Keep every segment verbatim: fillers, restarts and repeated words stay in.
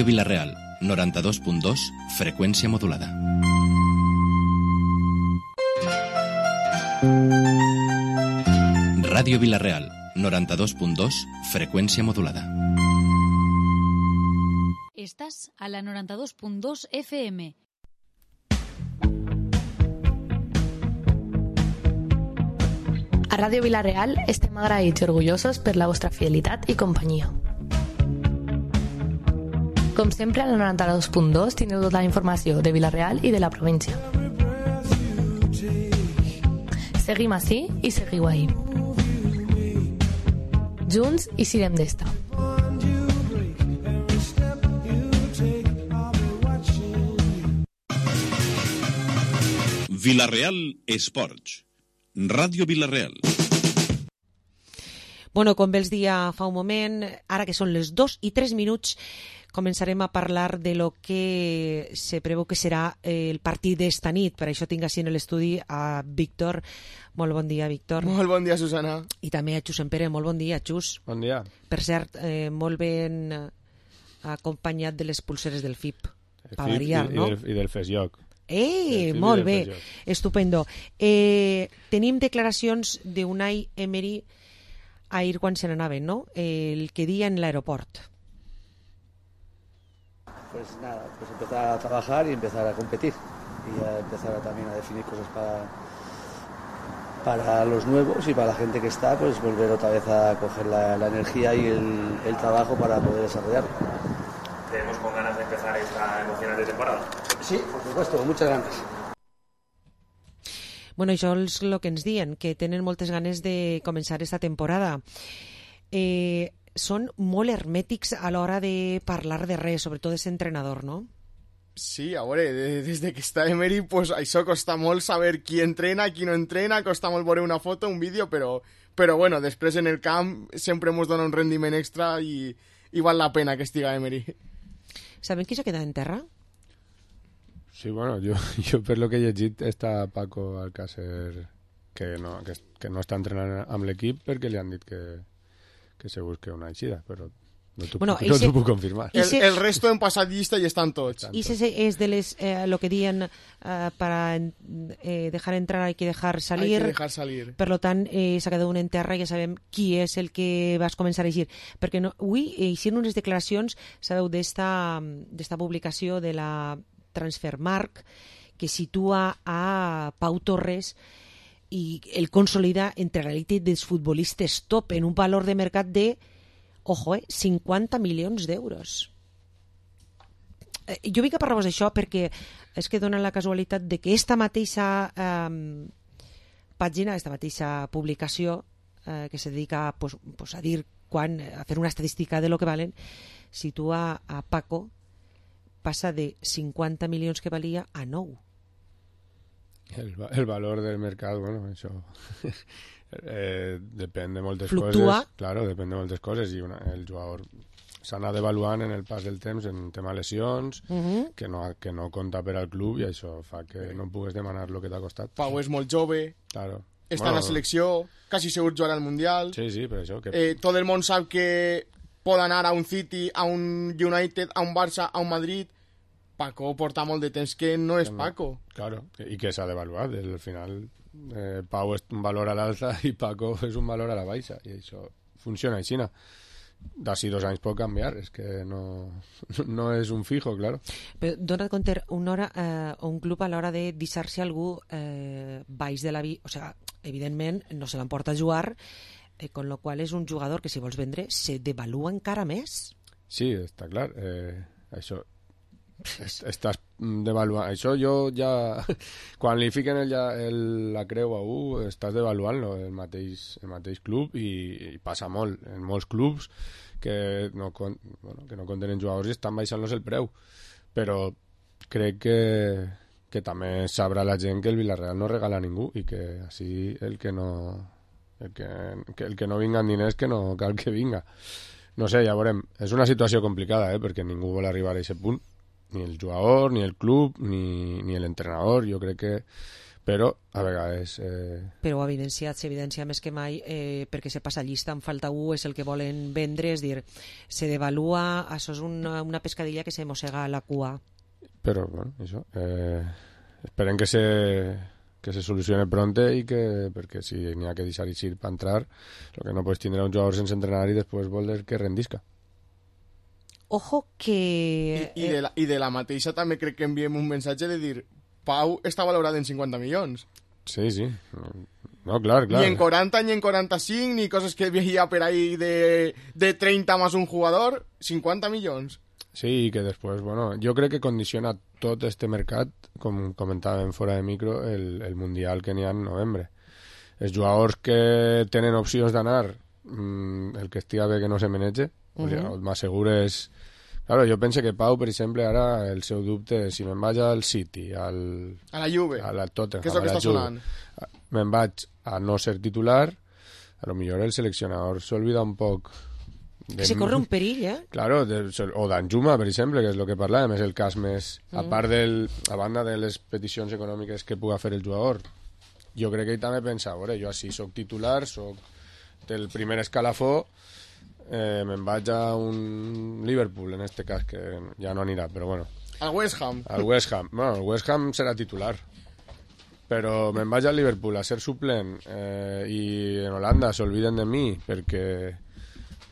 Vilareal, noranta-dos punt dos, freqüència modulada. Ràdio Vilareal, noranta-dos punt dos, freqüència modulada. Estàs a la noranta-dos punt dos F M. A Ràdio Vilareal estem agraïts i orgullosos per la vostra fidelitat i companyia. Com sempre, a la noranta-dos punt dos teniu tota la informació de Vilareal i de la província. Seguim ací i seguiu ahí. Junts i sirem d'esta. Vilareal Esports. Ràdio Vilareal. Bueno, com bé els dia fa un moment, ara que són les dos i tres minuts, començarem a parlar de lo que se preveu que serà el partit d'esta nit. Per això tinc així en l'estudi a Víctor. Molt bon dia, Víctor. Molt bon dia, Susana. I també a Xus Empere. Molt bon dia, Xus. Bon dia. Per cert, eh, molt ben acompanyat de les pulseres del F I P. Per variar, i, no? I del, i del FESIOC. Eh, molt bé. Estupendo. Eh, tenim declaracions d'Unai Emery ahir quan se n'anaven, ¿no? El que dia en l'aeroport. Pues nada, pues empezar a trabajar y empezar a competir y a empezar a, también a definir cosas para para los nuevos y para la gente que está, pues volver otra vez a coger la, la energía y el, el trabajo para poder desarrollarlo. ¿Tenemos con ganas de empezar esta emocionante temporada? Sí, por supuesto, con muchas ganas. Bueno, això és el que ens diuen, que tenen moltes ganes de començar esta temporada. Eh, són molt hermètics a l'hora de parlar de res, sobretot d'aquest entrenador, no? Sí, a veure, des de que està Emery, pues, això costa molt saber qui entrena, qui no entrena, costa molt veure una foto, un vídeo, però, però bueno, després en el camp sempre ens dona un rendiment extra i, i val la pena que estiga Emery. Sabem qui s'ha quedat en terra? Sí, bueno, jo, jo per lo que he llegit està Paco Alcácer que no, que, que no està entrenant amb l'equip perquè li han dit que, que se busque una eixida, però no t'ho bueno, no se... puc confirmar. El, el resto han passat llista i estan tots. I ese és de les, eh, lo que diuen eh, para eh, dejar entrar hay que dejar salir. Hay que dejar salir. Per lo tant, eh, s'ha quedat un en terra i ja sabem qui és el que vas començar a eixir. Perquè no, avui eh, eixien unes declaracions, sabeu, d'esta publicació de la Transfermarkt, que situa a Pau Torres i el consolida entre l'elit dels futbolistes top en un valor de mercat de, ojo, eh, cinquanta milions d'euros. Eh, jo vinc a parlar-vos d'això perquè és que dona la casualitat de que esta mateixa eh, pàgina, esta mateixa publicació eh, que se dedica pues, pues, a dir quan, a fer una estadística de lo que valen, situa a Paco, passa de cinquanta milions que valia a nou. El, el valor del mercat, bueno, això eh, depèn de moltes Fluctua. coses. Claro, depèn de moltes coses i una, el jugador s'ha anat evaluant en el pas del temps en tema lesions, uh -huh. que, no, que no compta per al club i això fa que no pugues demanar el que t'ha costat. Pau és molt jove, claro. està bueno, en la selecció, quasi segur jugarà al Mundial. Sí, sí, per això. Que... Eh, tot el món sap que pot anar a un City, a un United, a un Barça, a un Madrid. Paco porta molt de temps que no és que no. Paco. Claro, i que s'ha d'avaluar. Al final, eh, Pau és un valor a l'alta i Paco és un valor a la baixa. I això funciona així. D'ací dos anys pot canviar. És que no, no és un fijo, claro. Però dona't compte, una hora, eh, un club a l'hora de deixar-se algú eh, baix de la vida, o sigui, evidentment no se l'emporta a jugar, eh, con lo qual és un jugador que si vols vendre se devalua encara més. Sí, està clar. Eh, això... estàs devaluant això. Jo ja quan li fiquen el, el, la creu a un estàs devaluant-lo, el mateix, el mateix club, i, i passa molt en molts clubs que no, bueno, que no contenen jugadors i estan baixant-los el preu, però crec que, que també sabrà la gent que el Villarreal no regala a ningú i que així el que no el que, que, el que no vinga amb diners que no cal que vinga. No sé, ja veurem. És una situació complicada, eh, perquè ningú vol arribar a aquest punt, ni el jugador, ni el club, ni, ni l'entrenador. Jo crec que però a vegades... Eh... Però ho ha evidenciat, s'evidencia més que mai, eh, perquè se passa llista, en falta u, és el que volen vendre, és dir, se devalua, això és una, una pescadilla que se mossega la cua. Però, bueno, això, eh, esperem que se, que se solucione pronto i que, perquè si n'hi ha que deixar eixir per entrar, el que no pots tindre un jugador sense entrenar i després voler que rendisca. Ojo que... I, i, de la, I de la mateixa també crec que enviem un missatge de dir Pau està valorat en cinquanta milions. Sí, sí. No, clar, clar. Ni en quaranta, ni en quaranta-cinc, ni coses que veia per ahí de, de treinta més un jugador, cinquanta milions. Sí, i que després, bueno, jo crec que condiciona tot este mercat, com comentàvem fora de micro, el, el Mundial que n'hi ha en novembre. Els jugadors que tenen opcions d'anar, mmm, el que estiga bé que no se menege, uh -huh. o sigui, m'assegures... Claro, jo penso que Pau, per exemple, ara el seu dubte és si me'n vaig al City, al... A la Juve, a la Tottenham, que és el que està sonant. Me'n vaig a no ser titular, a lo millor el seleccionador s'olvida un poc... De... Se corre un perill, eh? Claro, de, o d'Anjuma, per exemple, que és el que parlàvem, és el cas més... Mm. A part del... A banda de les peticions econòmiques que puga fer el jugador, jo crec que ell també pensa, veure, jo així soc titular, soc del primer escalafó, Eh, me'n vaig a un Liverpool en este cas, que ja no anirà, però bueno. Al West Ham. Al West Ham. Bueno, el West Ham serà titular. Però me'n vaig al Liverpool a ser suplent eh, i en Holanda s'olviden de mi perquè,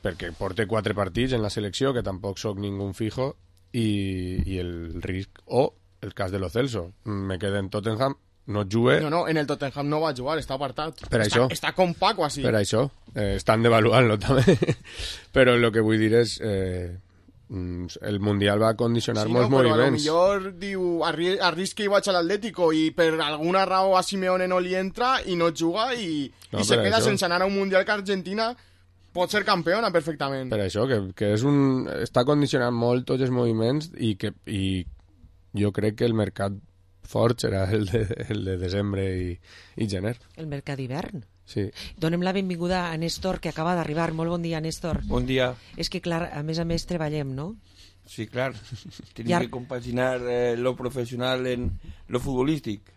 perquè porte quatre partits en la selecció, que tampoc sóc ningú fijo, i, i el risc... O el cas de Lo Celso. Me quedé en Tottenham, no jugué... No, no, en el Tottenham no va jugar, està apartat. Per està, això. Està com Paco, així. Per això. Eh, estan devaluant-lo, també. Però el que vull dir és... Eh, el Mundial va condicionar sí, molts no, però moviments. Però a lo millor diu, arri arrisca i vaig a l'Atlético i per alguna raó a Simeone no li entra i no juga i, no, i se queda això. Sense anar a un Mundial que Argentina pot ser campiona perfectament. Per això, que, que és un, està condicionant molt tots els moviments i, que, i jo crec que el mercat fort serà el de, el de desembre i, i gener. El mercat d'hivern. Sí. Donem la benvinguda a Néstor, que acaba d'arribar. Molt bon dia, Néstor. Bon dia. És que, clar, a més a més treballem, no? Sí, clar. Tenim ja... que compaginar eh, lo professional en lo futbolístic.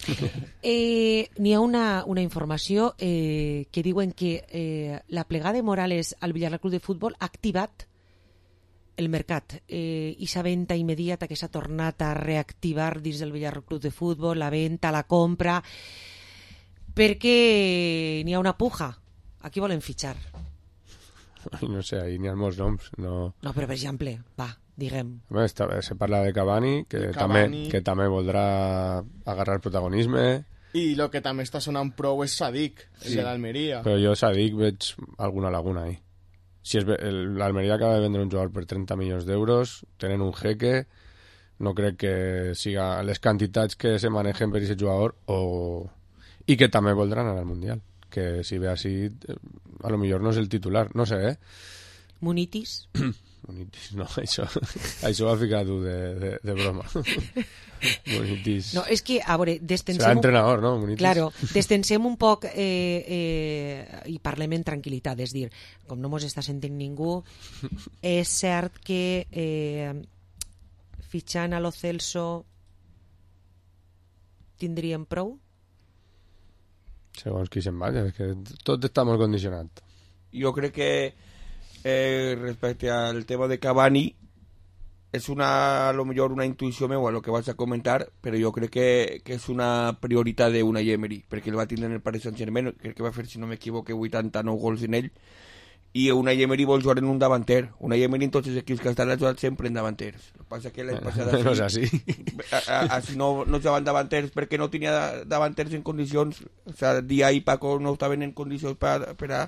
Eh, N'hi ha una, una informació eh, que diuen que eh, la plegada de Morales al Villarreal Club de Futbol ha activat el mercat eh, i sa venda immediata que s'ha tornat a reactivar dins del Villarreal Club de Futbol, la venda, la compra, perquè n'hi ha una puja. A qui volen fitxar? No sé, ahí n'hi ha molts noms. No, no però per exemple, va, diguem. Bé, està, se parla de Cavani, que, Cavani. També, que també voldrà agarrar protagonisme. I el que també està sonant prou és Sadik, sí. El de l'Almeria. Però jo Sadik veig alguna laguna ahí. Si l'Almeria acaba de vendre un jugador per trenta milions d'euros, tenen un jeque, no crec que siga les quantitats que se manegen per aquest jugador, o... i que també voldran anar al Mundial, que si ve així a lo millor no és el titular, no sé, eh? Munitis? Munitis, no, això, això ho ha ficat tu de, de, de broma. Munitis. No, és que, a veure, destensem... Serà entrenador, no, Munitis? Claro, destensem un poc eh, eh, i parlem en tranquil·litat, és dir, com no mos està sentint ningú, és cert que eh, fitxant a Lo Celso tindríem prou? Segons qui se'n vaya, és que tot està molt condicionat. Jo crec que eh, respecte al tema de Cavani és una, a lo millor una intuïció meua el que vas a comentar, però jo crec que, que és una prioritat d'Unai Emery, perquè el va tindre en el Paris Saint-Germain, crec que va fer, si no m'equivoque, vuitanta-nou gols en ell, i Unai Emery vol jugar en un davanter. Unai Emery en tots els equips que estan ha jugat sempre en davanters. El que passa que l'any passat no és així. Així no, no jugaven davanters perquè no tenia davanters en condicions, o sea, Dia i Paco no estaven en condicions per, per a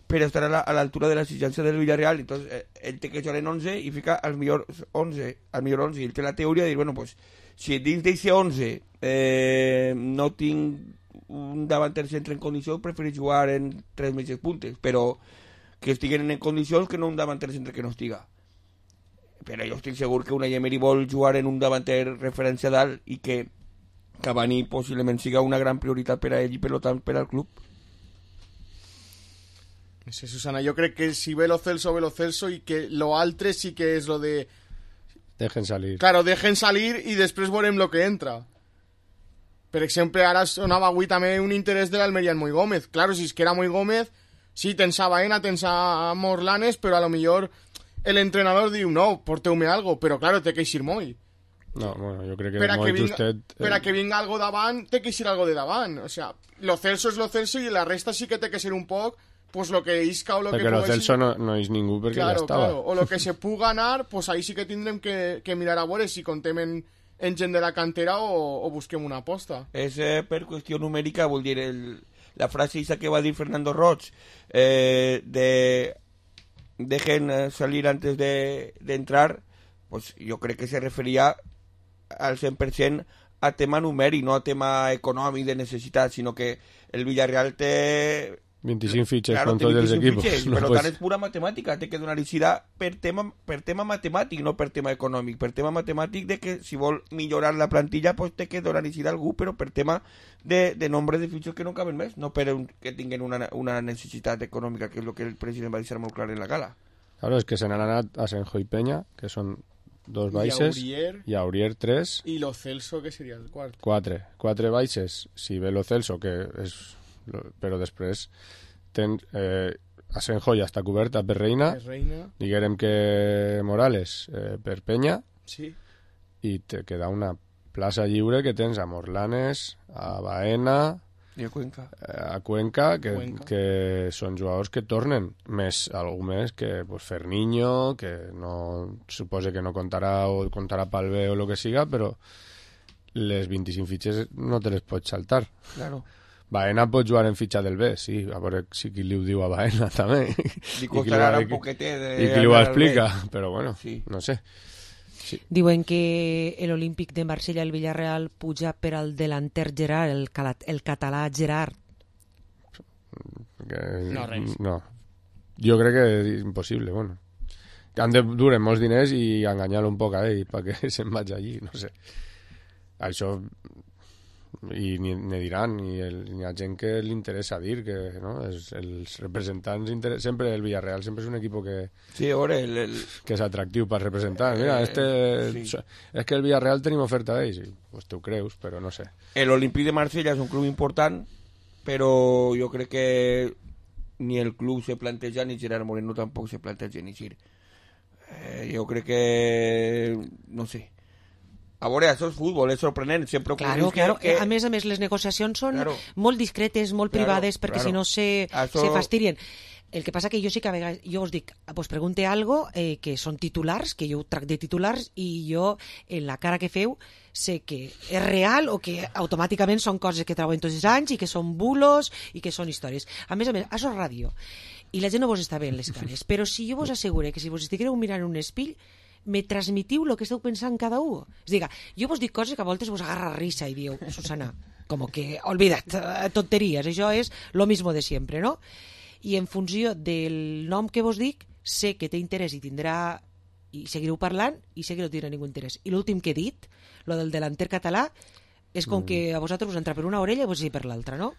per estar a l'altura de l'exigència del Villarreal. Entonces eh, ell té que jugar en onze i fica al millor onze, al millor onze, i ell té la teoria de dir, bueno, pues, si dins d'aquest onze eh, no tinc un davanter centre en condicions, prefereix jugar en tres mitges puntes, però que estiguen en condicions que no un davanter centre que no estiga. Però jo estic segur que Unai Emery vol jugar en un davanter referència dalt i que Cavani possiblement siga una gran prioritat per a ell i per tant per al club. Sí, Susana, yo creo que si ve Lo Celso, ve Lo Celso y que lo altre sí que es lo de... Dejen salir. Claro, dejen salir y después verem lo que entra. Per exemple, ara sonava avui també un interès de l'Almeria en Moi Gómez. Claro, si es que era Moi Gómez, sí, tens a Baena, tens a Morlanes, però a lo millor el entrenador diu, no, porteu-me algo, però claro, té que eixir Moi. No, bueno, jo crec que per a Moi que vinga, justet... Eh... Per a que vinga algo davant, té que eixir algo de davant. O sea, lo Celso és lo Celso i la resta sí que té que ser un poc pues lo que isca o lo perquè que... Perquè lo Celso no, no és ningú perquè claro, ja estava. Claro. O lo que se puga anar, pues ahí sí que tindrem que, que mirar a veure si contem en, en gent de la cantera o, o busquem una aposta. És eh, per qüestió numèrica, vol dir, el, la frase esa que va dir Fernando Roig, eh, de dejen salir antes de, de entrar, pues yo crec que se referia al cent per cent a tema numèric, no a tema econòmic de necessitat, sinó que el Villarreal té vint-i-cinc fitxes claro, con tots els equipos. Fitxes, no, per pues... tant és pura matemàtica, té que donar eixida per tema, per tema matemàtic, no per tema econòmic. Per tema matemàtic de que si vol millorar la plantilla pues té que donar eixida a algú, però per tema de, de nombre de fitxes que no caben més, no per un, que tinguin una, una necessitat econòmica, que és el que el president va deixar molt clar en la gala. Claro, és que se n'han anat a Senjo i Peña, que són dos baixes, i a Aurier tres, i lo Celso, que seria el quart. Quatre, quatre baixes, si ve lo Celso, que és... però després ten, eh, Asenjo ja està coberta per Reina, Reina. diguem que Morales eh, per Peña, sí. i te queda una plaça lliure que tens a Morlanes, a Baena i a Cuenca, eh, a Cuenca, que, Cuenca, que són jugadors que tornen, més algú més que pues, Ferniño, que no suposa que no contarà o contarà pel bé o el que siga, però les vint-i-cinc fitxes no te les pots saltar. Claro. Baena pot jugar en fitxa del B, sí, a veure si qui li ho diu a Baena també. Li costarà un poquetet de... I qui li ho explica, però bueno, sí. no sé. Sí. Diuen que l'Olímpic de Marsella i el Villarreal puja per al delanter Gerard, el, el català Gerard. Que, no, res. No. Jo crec que és impossible, bueno. Han de duren molts diners i enganyar-lo un poc a ell perquè se'n vagi allí, no sé. Això... i ni, ni diran, ni el, hi ha gent que li interessa dir que no? es, els representants inter... sempre el Villarreal sempre és un equip que sí, ora, el, el... que és atractiu per representar. Mira, este sí. És que el Villarreal tenim oferta d'ells, sí, pues tu creus, però no sé. El Olímpic de Marsella és un club important, però jo crec que ni el club se planteja ni Gerard Moreno tampoc se planteja ni Gir. Eh, jo crec que no sé. A veure, això és futbol, és sorprenent, sempre claro, que, claro. que... A més a més, les negociacions són claro. molt discretes, molt claro, privades, perquè claro. si no se, això... se fastidien. El que passa que jo sí que a vegades, jo us dic, pues pregunte algo eh, que són titulars, que jo tracto de titulars, i jo, en la cara que feu, sé que és real o que automàticament són coses que treuen tots els anys i que són bulos i que són històries. A més a més, això és ràdio, i la gent no vos està bé en les cares, però si jo vos asseguro que si vos estigueu mirant un espill, me transmitiu el que esteu pensant cada un. És dir, jo vos dic coses que a voltes vos agarra risa i diu, Susana, com que, olvida't, tonteries, això és lo mismo de sempre, no? I en funció del nom que vos dic, sé que té interès i tindrà, i seguireu parlant, i sé que no tindrà ningú interès. I l'últim que he dit, lo del delanter català, és com mm. que a vosaltres us entra per una orella i vos dir per l'altra, no?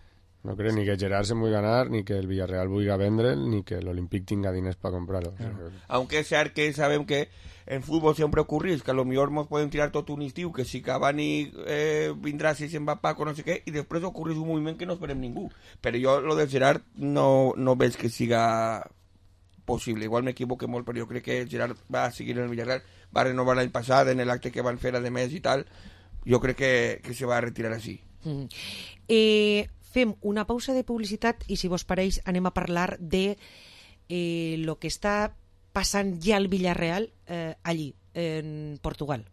No crec ni que Gerard se vulgui ganar, ni que el Villarreal vulgui vendre'l, ni que l'Olímpic tinga diners para comprarlo. Claro. Aunque es cert que sabem que en futbol sempre ocorreix que a lo millor ens podem tirar tot un estiu, que si Cavani eh, vindrà, si se'n va Paco, no sé què, i després ocorreix un moviment que no esperem ningú. Però jo, lo del Gerard, no, no veig que siga possible. Igual m'equivoque molt, però jo crec que Gerard va seguir en el Villarreal, va renovar l'any passat en l'acte que van fer a de mes i tal. Jo crec que, que se va retirar així. Mm. Eh... Fem una pausa de publicitat i, si vos pareix, anem a parlar de eh, lo que està passant ja al Villarreal eh, allí, en Portugal.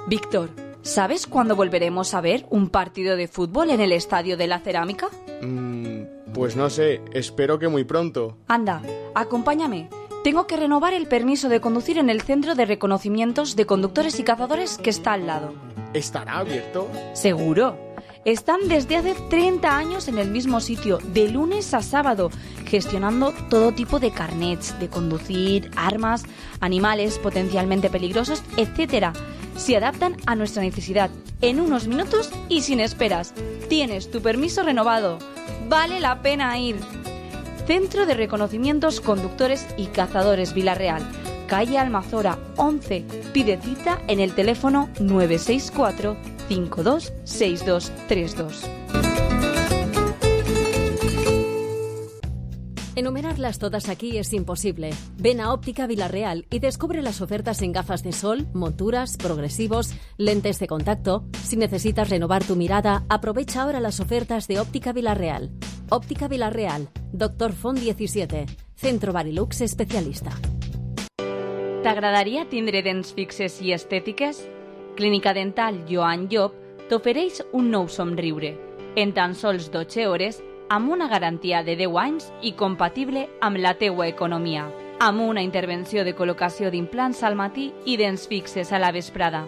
Víctor, ¿sabes cuándo volveremos a ver un partido de fútbol en el Estadio de la Cerámica? Mm, pues no sé, espero que muy pronto. Anda, acompáñame. Tengo que renovar el permiso de conducir en el Centro de Reconocimientos de Conductores y Cazadores que está al lado. ¿Estará abierto? Seguro. Están desde hace treinta años en el mismo sitio, de lunes a sábado, gestionando todo tipo de carnets, de conducir, armas, animales potencialmente peligrosos, etcétera. Se adaptan a nuestra necesidad en unos minutos y sin esperas. Tienes tu permiso renovado. Vale la pena ir. Centro de Reconocimientos Conductores y Cazadores Villarreal, calle Almazora once. Pide cita en el teléfono nueve seis cuatro, cinco dos seis dos tres dos. Enumerarlas todas aquí es imposible. Ven a Óptica Vilarreal y descubre las ofertas en gafas de sol, monturas, progresivos, lentes de contacto. Si necesitas renovar tu mirada, aprovecha ahora las ofertas de Óptica Vilarreal. Óptica Vilarreal, Doctor Font diecisiete, Centro Barilux especialista. T'agradaria tindre dents fixes i estètiques? Clínica Dental Joan Llop t'ofereix un nou somriure. En tan sols dotze hores, amb una garantia de deu anys i compatible amb la teua economia. Amb una intervenció de col·locació d'implants al matí i dents fixes a la vesprada.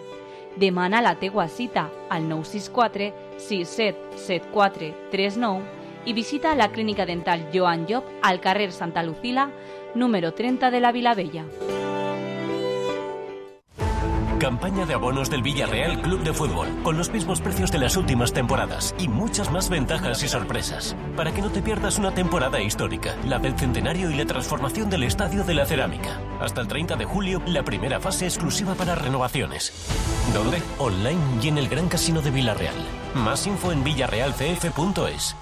Demana la teua cita al nou sis quatre sis set set quatre tres nou i visita la Clínica Dental Joan Llop al carrer Santa Lucila, número treinta de la Vilavella. Campaña de abonos del Villarreal Club de Fútbol, con los mismos precios de las últimas temporadas y muchas más ventajas y sorpresas. Para que no te pierdas una temporada histórica, la del centenario y la transformación del Estadio de la Cerámica. Hasta el treinta de julio, la primera fase exclusiva para renovaciones. ¿Dónde? Online y en el Gran Casino de Villarreal. Más info en villarreal c f punto es.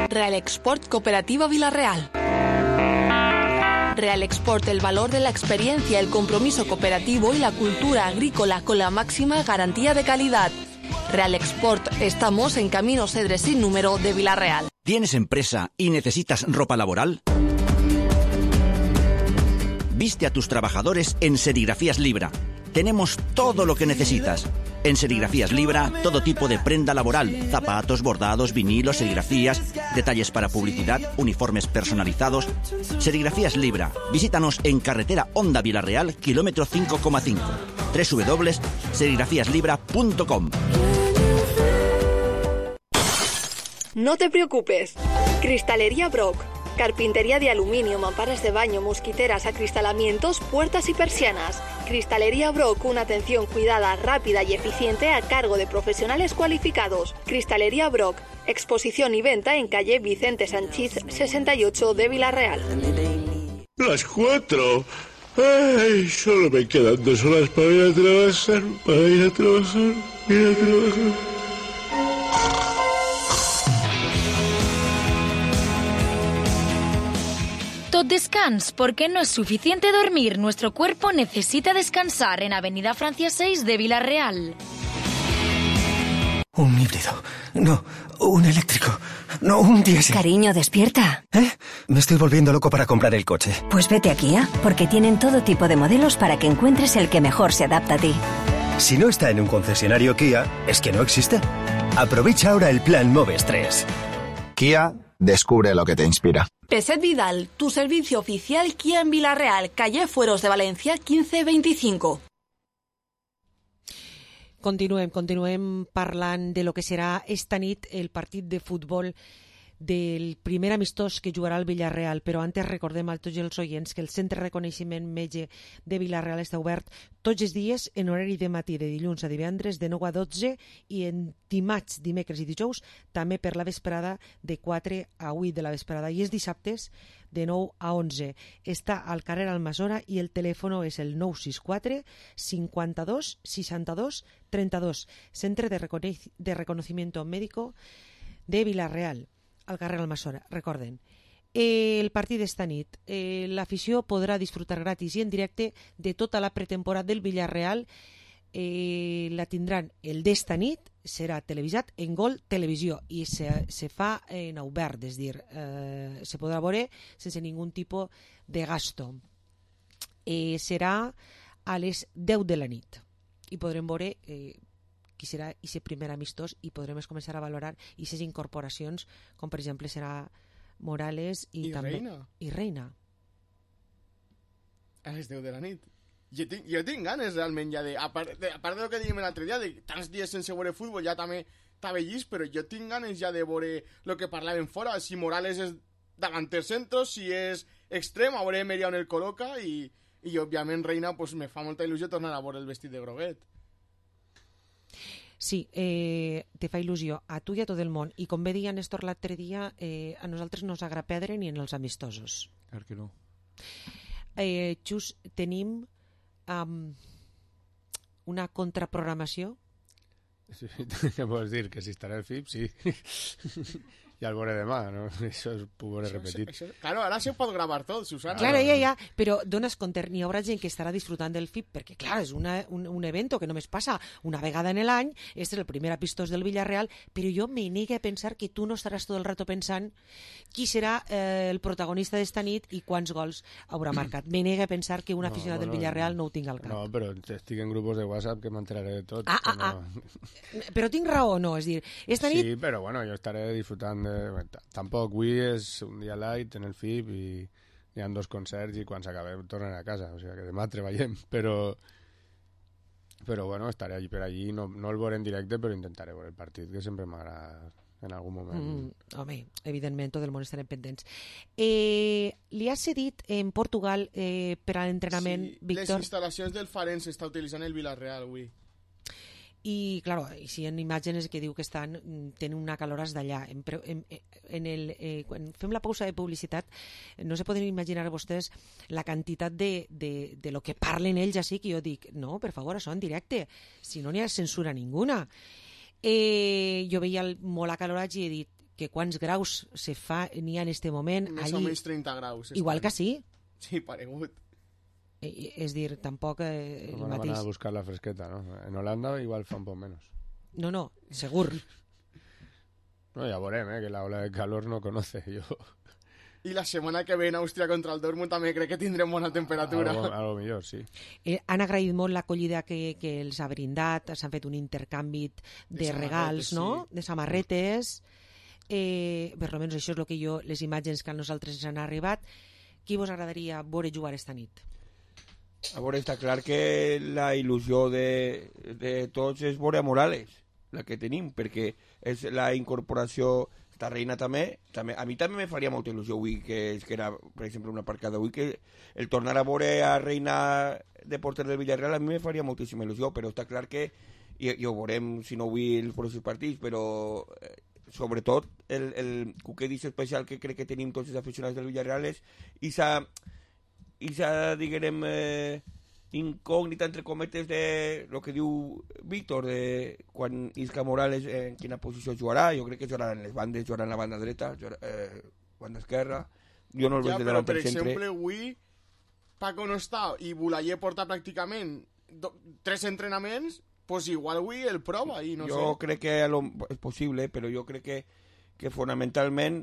Real Export Cooperativa Villarreal. Real Export, el valor de la experiencia, el compromiso cooperativo y la cultura agrícola con la máxima garantía de calidad. Real Export, estamos en Camino Cedres sin número de Villarreal. ¿Tienes empresa y necesitas ropa laboral? Viste a tus trabajadores en Serigrafías Libra. Tenemos todo lo que necesitas. En Serigrafías Libra, todo tipo de prenda laboral, zapatos, bordados, vinilos, serigrafías, detalles para publicidad, uniformes personalizados. Serigrafías Libra. Visítanos en carretera Honda Villarreal, kilómetro cinco coma cinco. doble u doble u doble u punto serigrafías libra punto com. No te preocupes. Cristalería Brock. Carpintería de aluminio, mamparas de baño, mosquiteras, acristalamientos, puertas y persianas. Cristalería Brock, una atención cuidada, rápida y eficiente a cargo de profesionales cualificados. Cristalería Brock, exposición y venta en calle Vicente Sanchís sesenta y ocho de Villarreal. Las cuatro. Ay, solo me quedan dos horas para ir a trabajar, para ir a trabajar, ir a trabajar. Tot descans, porque no es suficiente dormir. Nuestro cuerpo necesita descansar en Avenida Francia seis de Villarreal. Un híbrido. No, un eléctrico. No, un diésel. Cariño, despierta. ¿Eh? Me estoy volviendo loco para comprar el coche. Pues vete a Kia, porque tienen todo tipo de modelos para que encuentres el que mejor se adapta a ti. Si no está en un concesionario Kia, es que no existe. Aprovecha ahora el plan Moves tres. Kia, descubre lo que te inspira. Peset Vidal, tu servicio oficial Kia en Villarreal, calle Fueros de Valencia quince veinticinco. Continuem, continuem parlant de lo que serà esta nit el partit de futbol del primer amistós que jugarà el Villarreal, però antes recordem a tots els oients que el Centre de Reconeixement Metge de Villarreal està obert tots els dies en horari de matí, de dilluns a divendres, de nou a dotze, i en dimarts, dimecres i dijous també per la vesprada de quatre a vuit de la vesprada, i els dissabtes de nou a onze. Està al carrer Almassora i el telèfon és el nou sis quatre cinquanta-dos seixanta-dos trenta-dos. Centre de, Recone de Reconocimiento Médico de Villarreal, al carrer Almassora. Recorden, el partit d'esta nit, eh, l'afició podrà disfrutar gratis i en directe de tota la pretemporada del Villarreal. Eh, la tindran el d'esta nit, serà televisat en Gol Televisió i se, se fa en obert, és dir, eh, se podrà veure sense ningun tipus de gasto. Eh, serà a les deu de la nit i podrem veure eh, qui serà aquest primer amistós i podrem començar a valorar aquestes incorporacions, com per exemple serà Morales i, I també Reina. i Reina. A les deu de la nit. Jo tinc, jo tinc ganes realment ja de, a part de, a part de lo que dèiem l'altre dia, de tants dies sense veure futbol, ja també estava llist, però jo tinc ganes ja de veure el que parlàvem fora, si Morales és davanter centro, si és extrem, a veure Merià on el col·loca, i, i òbviament Reina pues, me fa molta il·lusió tornar a veure el vestit de groguet. Sí, eh, te fa il·lusió a tu i a tot el món, i com bé deia Néstor l'altre dia, eh, a nosaltres no ens agrada perdre ni en els amistosos. Clar que no. Eh, just tenim um, una contraprogramació? Sí, què vols dir? Que si estarà el F I B, sí. Ja el veuré demà, no? Això ho veuré repetit. Això, això, claro, ara se pot gravar tot, Susana. Claro, ja, ja, però dones compte, n'hi haurà gent que estarà disfrutant del F I B, perquè, clar, és una, un, un evento que només passa una vegada en l'any, este és el primer apistós del Villarreal, però jo me negue a pensar que tu no estaràs tot el rato pensant qui serà eh, el protagonista d'esta nit i quants gols haurà marcat. Me negue a pensar que un aficionat no, bueno, del Villarreal no ho tinc al cap. No, però estic en grupos de WhatsApp que m'enteraré de tot. Ah, ah, no... ah. Però tinc raó o no? És dir, esta nit... Sí, però bueno, jo estaré disfrutant de... Tampoc avui és un dia light en el F I B i hi ha dos concerts i quan s'acabem tornen a casa, o sigui que demà treballem, però però bueno, estaré allí per allí, no, no el veuré en directe, però intentaré veure el partit, que sempre m'agrada en algun moment. Mm, home, evidentment, tot el món estarem pendents. Eh, li ha cedit en Portugal eh, per a l'entrenament, sí, Víctor? Les instal·lacions del Farense està utilitzant el Villarreal avui. I, claro, si hi ha imatges que diu que estan tenen una caloràs d'allà. En, en, en el, eh, quan fem la pausa de publicitat, no se poden imaginar vostès la quantitat de, de, de lo que parlen ells així, que jo dic, no, per favor, això en directe, si no n'hi ha censura ninguna. Eh, jo veia el, molt acalorats i he dit que quants graus se fa n'hi ha en este moment. Més allí, o menys trenta graus. Igual que sí. Sí, paregut. Eh, és dir, tampoc eh, el no mateix... Van a buscar la fresqueta, ¿no? En Holanda igual fa un poc menos. No, no, segur. No, ja veurem, eh, que la ola de calor no conoce, yo... I la setmana que ve en Àustria contra el Dortmund també crec que tindrem bona temperatura. Algo, algo millor, sí. Eh, han agraït molt l'acollida que, que els ha brindat, s'han fet un intercanvi de, de regals, no? Sí. De samarretes. Eh, per almenys això és el que jo, les imatges que a nosaltres ens han arribat. Qui vos agradaria veure jugar esta nit? A veure, està clar que la il·lusió de, de tots és veure a Morales, la que tenim, perquè és la incorporació, està Reina també, també, a mi també me faria molta il·lusió avui, que, que era, per exemple, una parcada avui, que el tornar a veure a Reina de porter del Villarreal a mi me faria moltíssima il·lusió, però està clar que, i, i ho veurem si no avui els pròxims partits, però eh, sobretot el, el cuquedís especial que crec que tenim tots els aficionats del Villarreal és i s'ha i s'ha, diguem, eh, incògnita, entre cometes, de lo que diu Víctor, de quan Isca Morales en quina posició jugarà. Jo crec que jugarà en les bandes, jugarà en la banda dreta, jugarà, eh, banda esquerra. Jo no el ja, veig de però, davant per del centre. exemple, avui Paco no està i Boulaye porta pràcticament do, tres entrenaments, pues igual avui el prova i no jo sé. Jo crec que lo, és possible, però jo crec que, que fonamentalment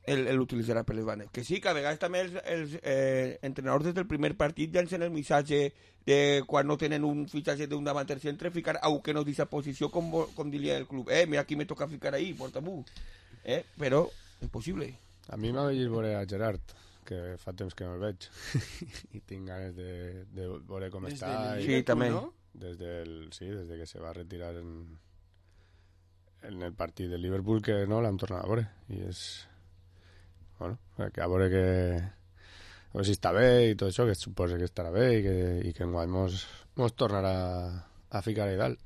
el, el utilitzarà per les bandes. Que sí, que a vegades també els, els eh, entrenadors des del primer partit llancen el missatge de quan no tenen un fitxatge d'un davanter centre, ficar a que no d'aquesta posició, com, com diria el club. Eh, mira, aquí me toca ficar ahí, porta-m'ho. Eh, però és possible. A mi m'ha vegit veure a Gerard, que fa temps que no el veig. I tinc ganes de, de veure com des està. De i... Sí, també. ¿no? Des del, sí, des de que se va retirar en, en el partit de Liverpool, que no l'hem tornat a veure. I és... Bueno, que a veure que... A veure si està bé i tot això, que suposa que estarà bé i que, i que enguany mos, mos tornarà a ficar a dalt.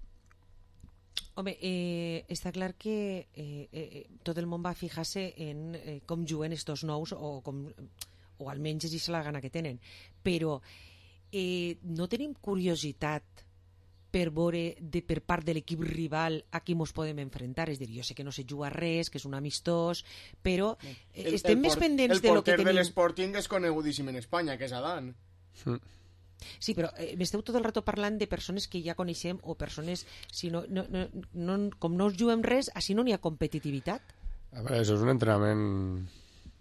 Home, eh, està clar que eh, eh, tot el món va fijar-se en eh, com juguen estos nous o, com, o almenys és la gana que tenen. Però eh, no tenim curiositat per veure de, per part de l'equip rival a qui mos podem enfrontar. És a dir, jo sé que no se juga res, que és un amistós, però eh, el, estem el més port, pendents de lo que tenim... tenim... El porter de l'Sporting és conegudíssim en Espanya, que és Adán. Mm. Sí, però eh, m'esteu tot el rato parlant de persones que ja coneixem o persones... Si no, no, no, no, com no us juguem res, així no n'hi ha competitivitat. A veure, això és un entrenament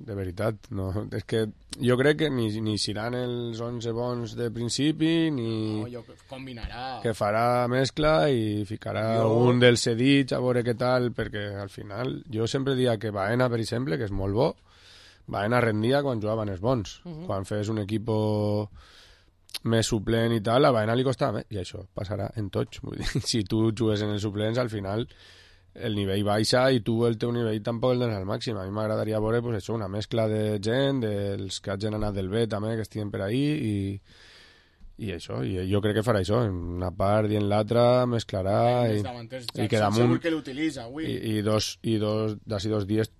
de veritat. No? És que jo crec que ni, ni seran els onze bons de principi, ni... No, jo combinarà. Que farà mescla i ficarà jo... un dels cedits a veure què tal, perquè al final jo sempre dia que Baena, per exemple, que és molt bo, Baena rendia quan jugaven els bons. Uh -huh. Quan fes un equip més suplent i tal, a Baena li costava més, i això passarà en tots. Vull dir, si tu jugues en els suplents, al final el nivell baixa i tu el teu nivell tampoc el dones al màxim. A mi m'agradaria veure pues, això, una mescla de gent, dels que hagin anat del B també, que estiguen per ahí, i, i això, i jo crec que farà això, en una part i en l'altra mesclarà, i, i que damunt que l'utilitza, avui. i, i dos, i dos, d'ací dos dies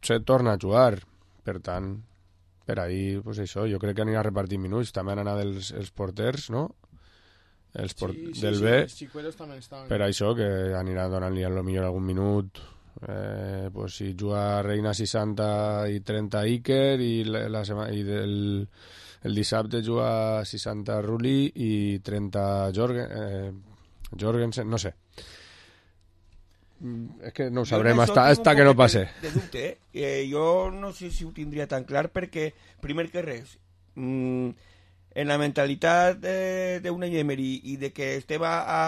se torna a jugar, per tant per ahí, pues això, jo crec que anirà a repartir minuts, també han anat els, els porters, no? els port... sí, sí, del sí, B, els xicuelos també estaven. per això que anirà donant-li a lo millor algun minut. Eh, pues si juga Reina seixanta i trenta Iker i, la, la sema, i del, el dissabte juga seixanta Rulli i trenta Jorgen, eh, Jorgensen, no sé. És que no ho sabrem hasta, hasta que no passe. De, de dubte, eh? eh? Jo no sé si ho tindria tan clar perquè, primer que res, mmm, en la mentalitat d'Unai Emery i de que estem a, a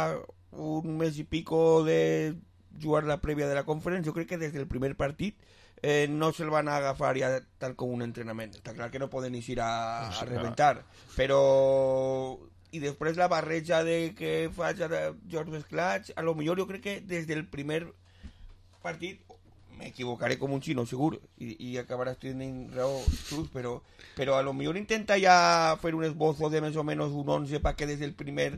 un mes i pico de jugar la prèvia de la conferència, jo crec que des del primer partit eh, no se'l van agafar ja tal com un entrenament. Està clar que no poden eixir a, a rebentar, però... I després la barreja de que faig a George Sclatch, a lo millor jo crec que des del primer partit m'equivocaré com un xino, segur, i, i acabaràs tenint raó, Xus, però, però a lo millor intenta ja fer un esbozo de més o menys un onze perquè des del primer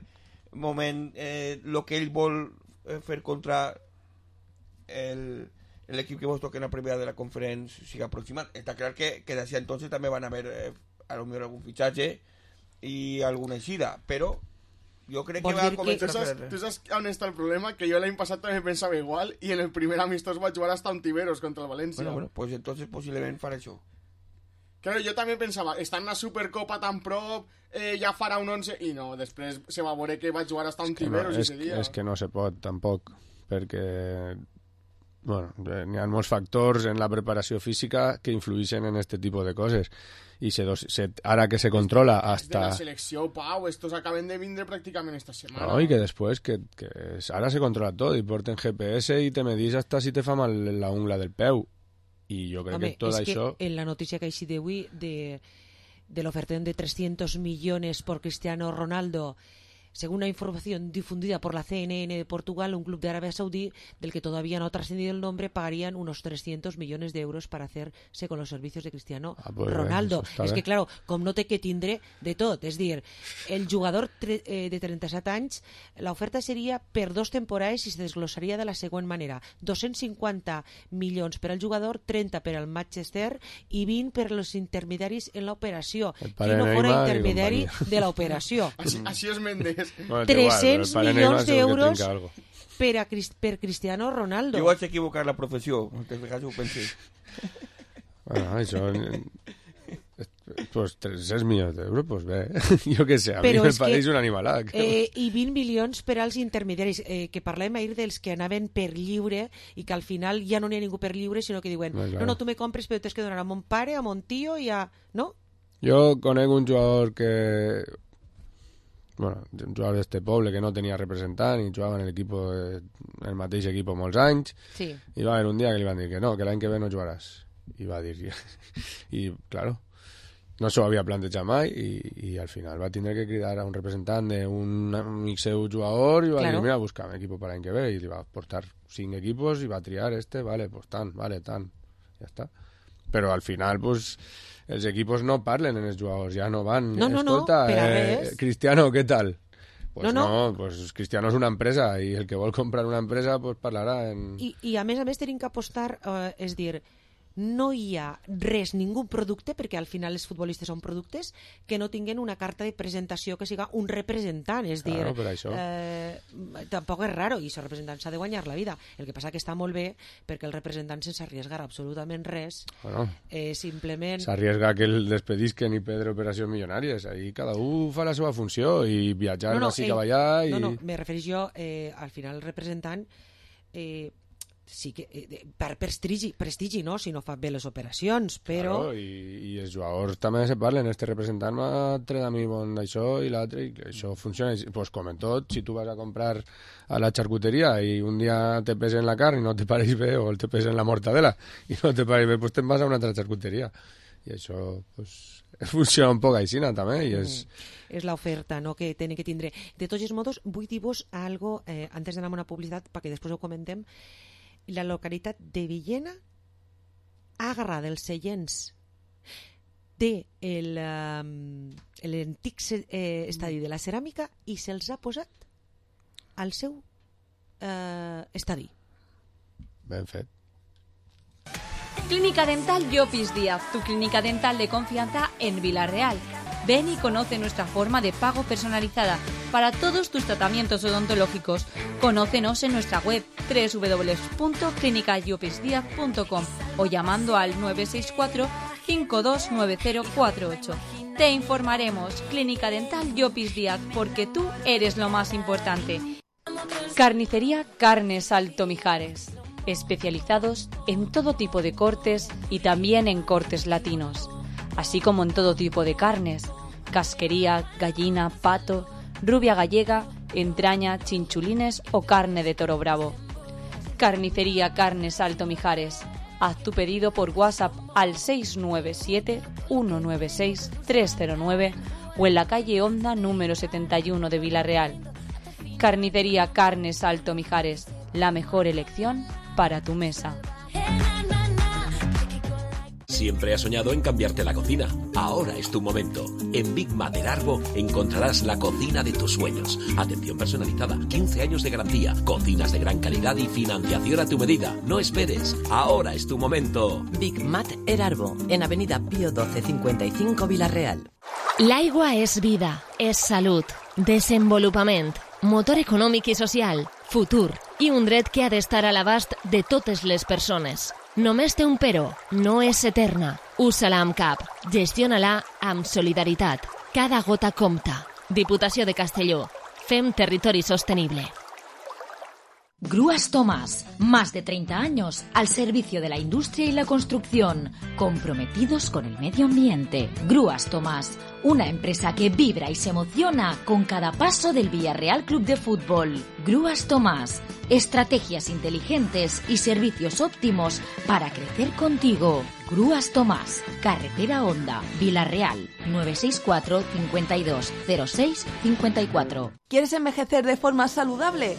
moment eh, lo que ell vol eh, fer contra el, l'equip que vos toca en la primera de la conferència siga aproximat. Està clar que, que d'ací entonces també van haver eh, a lo millor algun fitxatge i alguna eixida, però jo crec que va començar a fer... Tu saps on està el problema? Que jo l'any passat també pensava igual i en el primer amistós vaig jugar hasta un Tiberos contra el València. Bueno, bueno, pues entonces posiblement farà això. Claro, jo també pensava, està en la Supercopa tan prop, eh, ja farà un onze, i no, després se va veure que vaig jugar hasta un Tiberos no, ese dia. És que no se pot, tampoc, perquè bueno, n'hi ha molts factors en la preparació física que influeixen en este tipus de coses. I se dos, se, ara que se controla hasta... De la selecció, Pau, estos acaben de vindre pràcticament esta setmana. No, i que després, que, que ara se controla tot, i porten G P S i te medís hasta si te fa mal la ungla del peu. I jo crec Home, que tot és això... que en la notícia que ha eixit d'avui de, de l'ofertón de trescientos millones por Cristiano Ronaldo, según la información difundida por la C N N de Portugal, un club de Arabia Saudí del que todavía no ha trascendido el nombre pagarían unos trescientos millones de euros para hacerse con los servicios de Cristiano ah, pues Ronaldo. Bé, és que, claro, com no té que tindre de tot. És dir, el jugador tre eh, de trenta-set anys, l'oferta seria per dos temporades i se desglossaria de la següent manera. dos-cents cinquanta milions per al jugador, trenta per al Manchester i vint per als intermediaris en l'operació. Qui no fora intermediari de l'operació. Així, així és Mendes. Bueno, tres-cents igual, milions d'euros per, a Crist per Cristiano Ronaldo. Jo vaig equivocar la professió, moltes vegades ho pensé. Bueno, això... Pues tres-cents milions d'euros, pues bé, jo què sé, a Però mi me que, pareix un animalac. Eh, I vint milions per als intermediaris, eh, que parlem ahir dels que anaven per lliure i que al final ja no n'hi ha ningú per lliure, sinó que diuen, no, claro. no, no, tu me compres però tens que donar a mon pare, a mon tio i a... No? Jo conec un jugador que... Bueno, un jugador d'este poble que no tenia representant i jugava en el, equipo, en el mateix equip molts anys, sí. I va haver un dia que li van dir que no, que l'any que ve no jugaràs. I va dir... I, claro, no s'ho havia plantejat mai i, i al final va tindre que cridar a un representant d'un amic seu jugador i va claro. dir, mira, busca'm equipo per l'any que ve, i li va portar cinc equipos i va triar este, vale, pues tant, vale, tant, ja està. Però al final, pues... els equipos no parlen en els jugadors, ja no van. No, no, Escolta, no, eh, Cristiano, què tal? Pues no, no. no, pues Cristiano és una empresa i el que vol comprar una empresa pues parlarà en... I, i a més a més tenim que apostar, eh, és dir, no hi ha res, ningú producte, perquè al final els futbolistes són productes, que no tinguen una carta de presentació que siga un representant, és claro, dir, per això. Eh, tampoc és raro, i el representant s'ha de guanyar la vida. El que passa que està molt bé perquè el representant sense arriesgar absolutament res, bueno, eh, simplement... s'arriesga que el despedisquen i perdre operacions milionàries, ahí cada un fa la seva funció i viatjar no, no, així cap allà i... No, no, me refereix jo, eh, al final el representant... Eh, sí que eh, per prestigi, prestigi no, si no fa bé les operacions, però... Claro, i, i els jugadors també se parlen, este representant m'ha tret a mi bon d'això i l'altre, i això funciona, pues com en tot, si tu vas a comprar a la xarcuteria i un dia te pesen la carn i no te pareix bé, o te pesen la mortadela i no te pareix bé, pues te'n vas a una altra xarcuteria, i això pues, funciona un poc així també, i és... Mm. És l'oferta, no?, que tenen que tindre. De tots els modos, vull dir-vos algo, eh, antes d'anar a una publicitat, perquè després ho comentem. La localitat de Villena ha agarrat els seients de l'antic eh, estadi de la ceràmica i se'ls ha posat al seu eh, estadi. Ben fet. Clínica Dental Llopis Díaz, tu clínica dental de confianza en Vila Real. Ven y conoce nuestra forma de pago personalizada para todos tus tratamientos odontológicos. Conócenos en nuestra web doble u doble u doble u punto clínica llopis díaz punto com o llamando al nueve seis cuatro, cinco dos nueve cero cuatro ocho. Te informaremos. Clínica Dental Llopis Díaz, porque tú eres lo más importante. Carnicería Carnes Alto Mijares. Especializados en todo tipo de cortes y también en cortes latinos, así como en todo tipo de carnes, casquería, gallina, pato, rubia gallega, entraña, chinchulines o carne de toro bravo. Carnicería Carnes Alto Mijares. Haz tu pedido por WhatsApp al seis nueve siete, uno nueve seis, tres cero nueve o en la calle Honda número setenta y uno de Vila-real. Carnicería Carnes Alto Mijares, la mejor elección para tu mesa. Siempre has soñado en cambiarte la cocina. Ahora es tu momento. En Big Mater Arbo encontrarás la cocina de tus sueños. Atención personalizada, quince años de garantía, cocinas de gran calidad y financiación a tu medida. No esperes. Ahora es tu momento. Big Mater Arbo, en Avenida Pío doce cincuenta y cinco, Vila-real. L'aigua és vida, és salut, desenvolupament, motor econòmic i social, futur i un dret que ha d'estar a l'abast de totes les persones. Només té un però, no és eterna. Usa-la amb cap, gestiona-la amb solidaritat. Cada gota compta. Diputació de Castelló. Fem territori sostenible. Grúas Tomás, más de treinta años al servicio de la industria y la construcción, comprometidos con el medio ambiente. Grúas Tomás, una empresa que vibra y se emociona con cada paso del Villarreal Club de Fútbol. Grúas Tomás, estrategias inteligentes y servicios óptimos para crecer contigo. Grúas Tomás, carretera Honda, Vila-real, nueve seis cuatro, cincuenta y dos, cero seis, cincuenta y cuatro. ¿Quieres envejecer de forma saludable?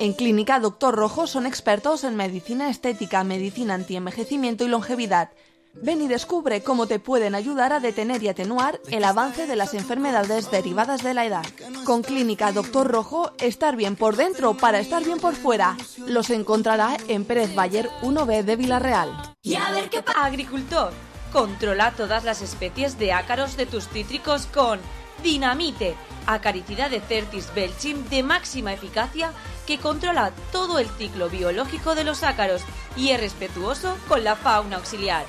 En Clínica Doctor Rojo son expertos en medicina estética, medicina antienvejecimiento y longevidad. Ven y descubre cómo te pueden ayudar a detener y atenuar el avance de las enfermedades derivadas de la edad. Con Clínica Doctor Rojo, estar bien por dentro para estar bien por fuera. Los encontrará en Pérez Bayer uno B de Vila-real. Y a ver qué pasa. Agricultor, controla todas las especies de ácaros de tus cítricos con Dinamite, acaricida de Certis Belchim de máxima eficacia que controla todo el ciclo biológico de los ácaros y es respetuoso con la fauna auxiliar.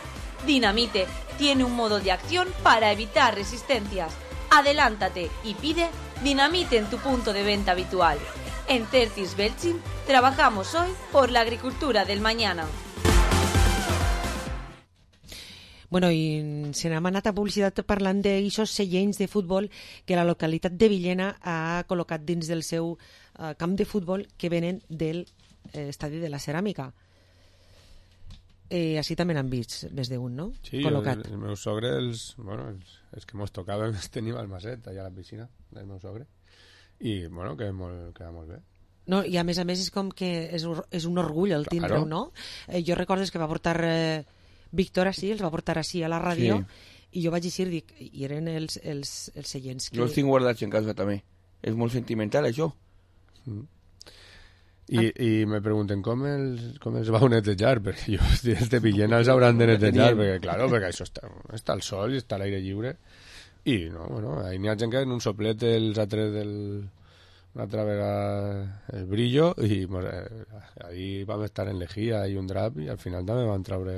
Dinamite tiene un modo de acción para evitar resistencias. Adelántate y pide Dinamite en tu punto de venta habitual. En Certis Belchim trabajamos hoy por la agricultura del mañana. Bueno, i se n'ha anat a publicitat parlant d'aixòs seients de futbol que la localitat de Villena ha col·locat dins del seu uh, camp de futbol que venen del eh, estadi de la Ceràmica. Eh, així també n'han vist més d'un, no? Sí, col·locat. el, el meu sogre, els, bueno, els, els que mos tocava els tenim al Maset, allà a la piscina del meu sogre. I, bueno, queda molt, queda molt bé. No, i a més a més és com que és, és un orgull el tindre-ho, Claro. no? Eh, jo recordo que va portar eh, Víctor així, els va portar així a la ràdio, Sí. i jo vaig dir, dic, i eren els, els, els seients que... Jo els tinc guardats en casa també. És molt sentimental, això. Mm. I, i me pregunten com els, com els vau netejar, perquè jo, els de Villena els hauran de netejar, perquè, claro, perquè això està, està al sol i està a l'aire lliure. I, no, bueno, ahí n'hi ha gent que en un soplet els ha tret del... una altra vegada el brillo i eh, ahí vam estar en lejía i un drap i al final també van treure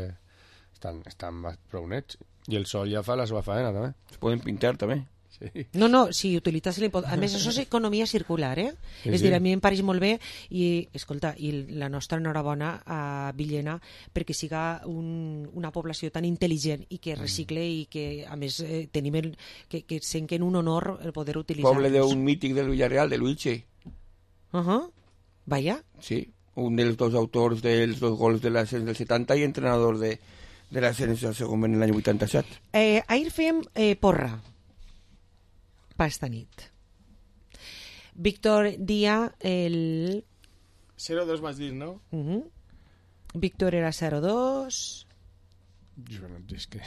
estan, estan prou nets i el sol ja fa la seva faena també. Es poden pintar també. Sí. No, no, si utilitzes l'impost... A més, això és economia circular, eh? Sí, és sí. dir, a mi em pareix molt bé i, escolta, i la nostra enhorabona a Villena perquè siga un, una població tan intel·ligent i que recicle i que, a més, eh, tenim el, que, que senquen un honor el poder utilitzar. Poble d'un mític del Villarreal, de Luiche. Uh -huh. Vaya. Sí, un dels dos autors dels dos gols de l'ascens del setanta i entrenador de, de l'ascens del segon en l'any vuitanta-set. Eh, ahir fem eh, porra per esta nit. Víctor Díaz, el... cero dos vas dir, no? Uh -huh. Víctor era cero dos... Jo no, és que...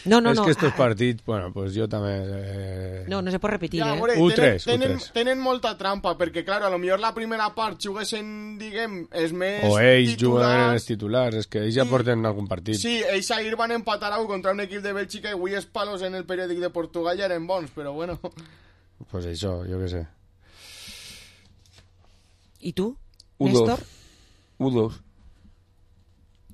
No, no, és no. que estos ah, partits, bueno, pues jo també... Eh... No, no se pot repetir, Ja, eh? veure, U tenen, tres, tenen, U tres. tenen molta trampa, perquè, clar, a lo millor la primera part juguessin, diguem, els més O ells titulars. juguen els titulars, és que ells ja porten algun partit. Sí, ells ahir van empatar a contra un equip de Bèlgica i avui els palos en el periòdic de Portugal ja eren bons, però bueno... pues això, jo què sé. I tu, U dos. Néstor? U dos.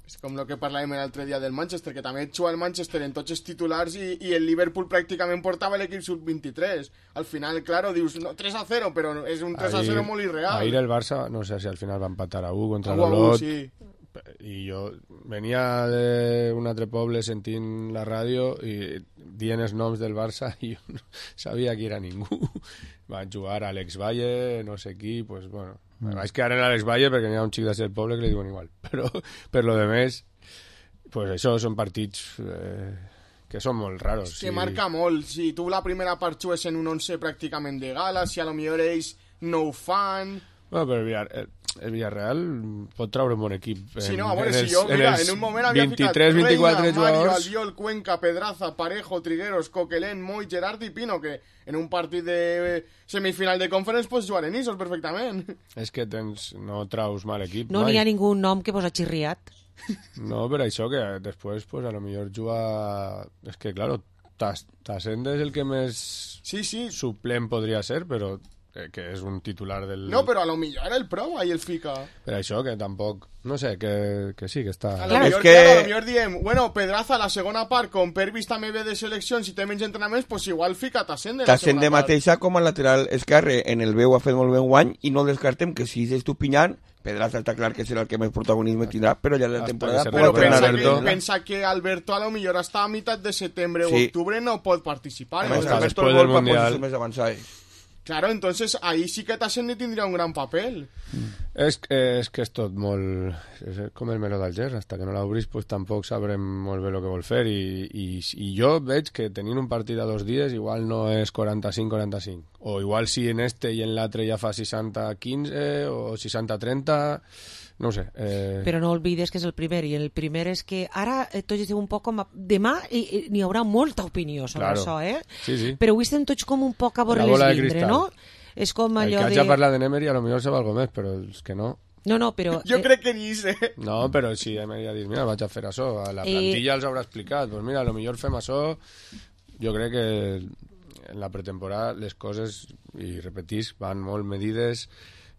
És com el que parlàvem l'altre dia del Manchester, que també juga el Manchester en tots els titulars i, i el Liverpool pràcticament portava l'equip sub vint-i-tres. Al final, claro, dius no, tres a cero, però és un tres a cero molt irreal. Ahir el Barça, no sé si al final va empatar a u contra a l'Olot. Sí. I jo venia d'un altre poble sentint la ràdio i dient els noms del Barça i jo no sabia qui era ningú. Van jugar Alex Valle, no sé qui, pues bueno... Mm. Vaig quedar en Alex Valle perquè n'hi ha un xic del poble que li diuen igual. Però per lo de més, pues això són partits eh, que són molt raros. Que sí. marca molt. Si tu la primera part jugues en un once pràcticament de gala, si a lo millor ells no ho fan... Bueno, però el, Villar, el, el Villarreal pot traure un bon equip. En, sí, no, a veure, en els, si jo, mira, en, en un moment havia vint-i-tres, ficat vint-i-quatre Reina, Mario, jugadors... Albiol, Cuenca, Pedraza, Parejo, Trigueros, Coquelén, Moy, Gerard i Pino, que en un partit de semifinal de conference pots jugar en Isos perfectament. És que tens, no traus mal equip. No n'hi ha ningú nom que posa xirriat. No, per això que després, pues, a lo millor juga... És que, claro, Tassendes el que més sí, sí. suplent podria ser, però... que és un titular del... No, però a lo millor el prova i el fica. Per això, que tampoc... No sé, que, que sí, que està... A lo millor, que... claro, a lo millor diem, bueno, Pedraza, la segona part, com Pervis també ve de seleccions i té menys entrenaments, pues igual fica Tassende la segona Tassende part. mateixa com a lateral esquerre, en el veu ha fet molt bé un guany, i no descartem que si és Estupinyán, Pedraza està clar que serà el que més protagonisme tindrà, però ja la temporada... Però pensa que, pensa que Alberto a lo millor hasta a mitad de setembre o sí. octubre no pot participar. Además, ¿no? Alberto el gol va posició més avançada. Claro, entonces ahí sí que Tassende tindria un gran papel. És, és que és tot molt... És com el meló d'Alger, hasta que no l'obris pues, tampoc sabrem molt bé el que vol fer i, i, i jo veig que tenint un partit a dos dies igual no és quaranta-cinc quaranta-cinc o igual si en este i en l'altre ja fa seixanta quinze o seixanta trenta... No ho sé. Eh... Però no oblides que és el primer, i el primer és que ara eh, tots estem un poc com... A... Demà eh, n'hi haurà molta opinió sobre claro. això, eh? Sí, sí. Però avui estem tots com un poc a veure les vindre, no? És com allò de... El que haig de parlar de Nemery a lo millor se va algo més, però els que no... No, no, però... Jo eh... crec que ni sé. No, però si Emery ha dit, mira, vaig a fer això, a la plantilla eh... els haurà explicat, doncs pues mira, a lo millor fem això... Jo crec que en la pretemporada les coses, i repetís, van molt medides...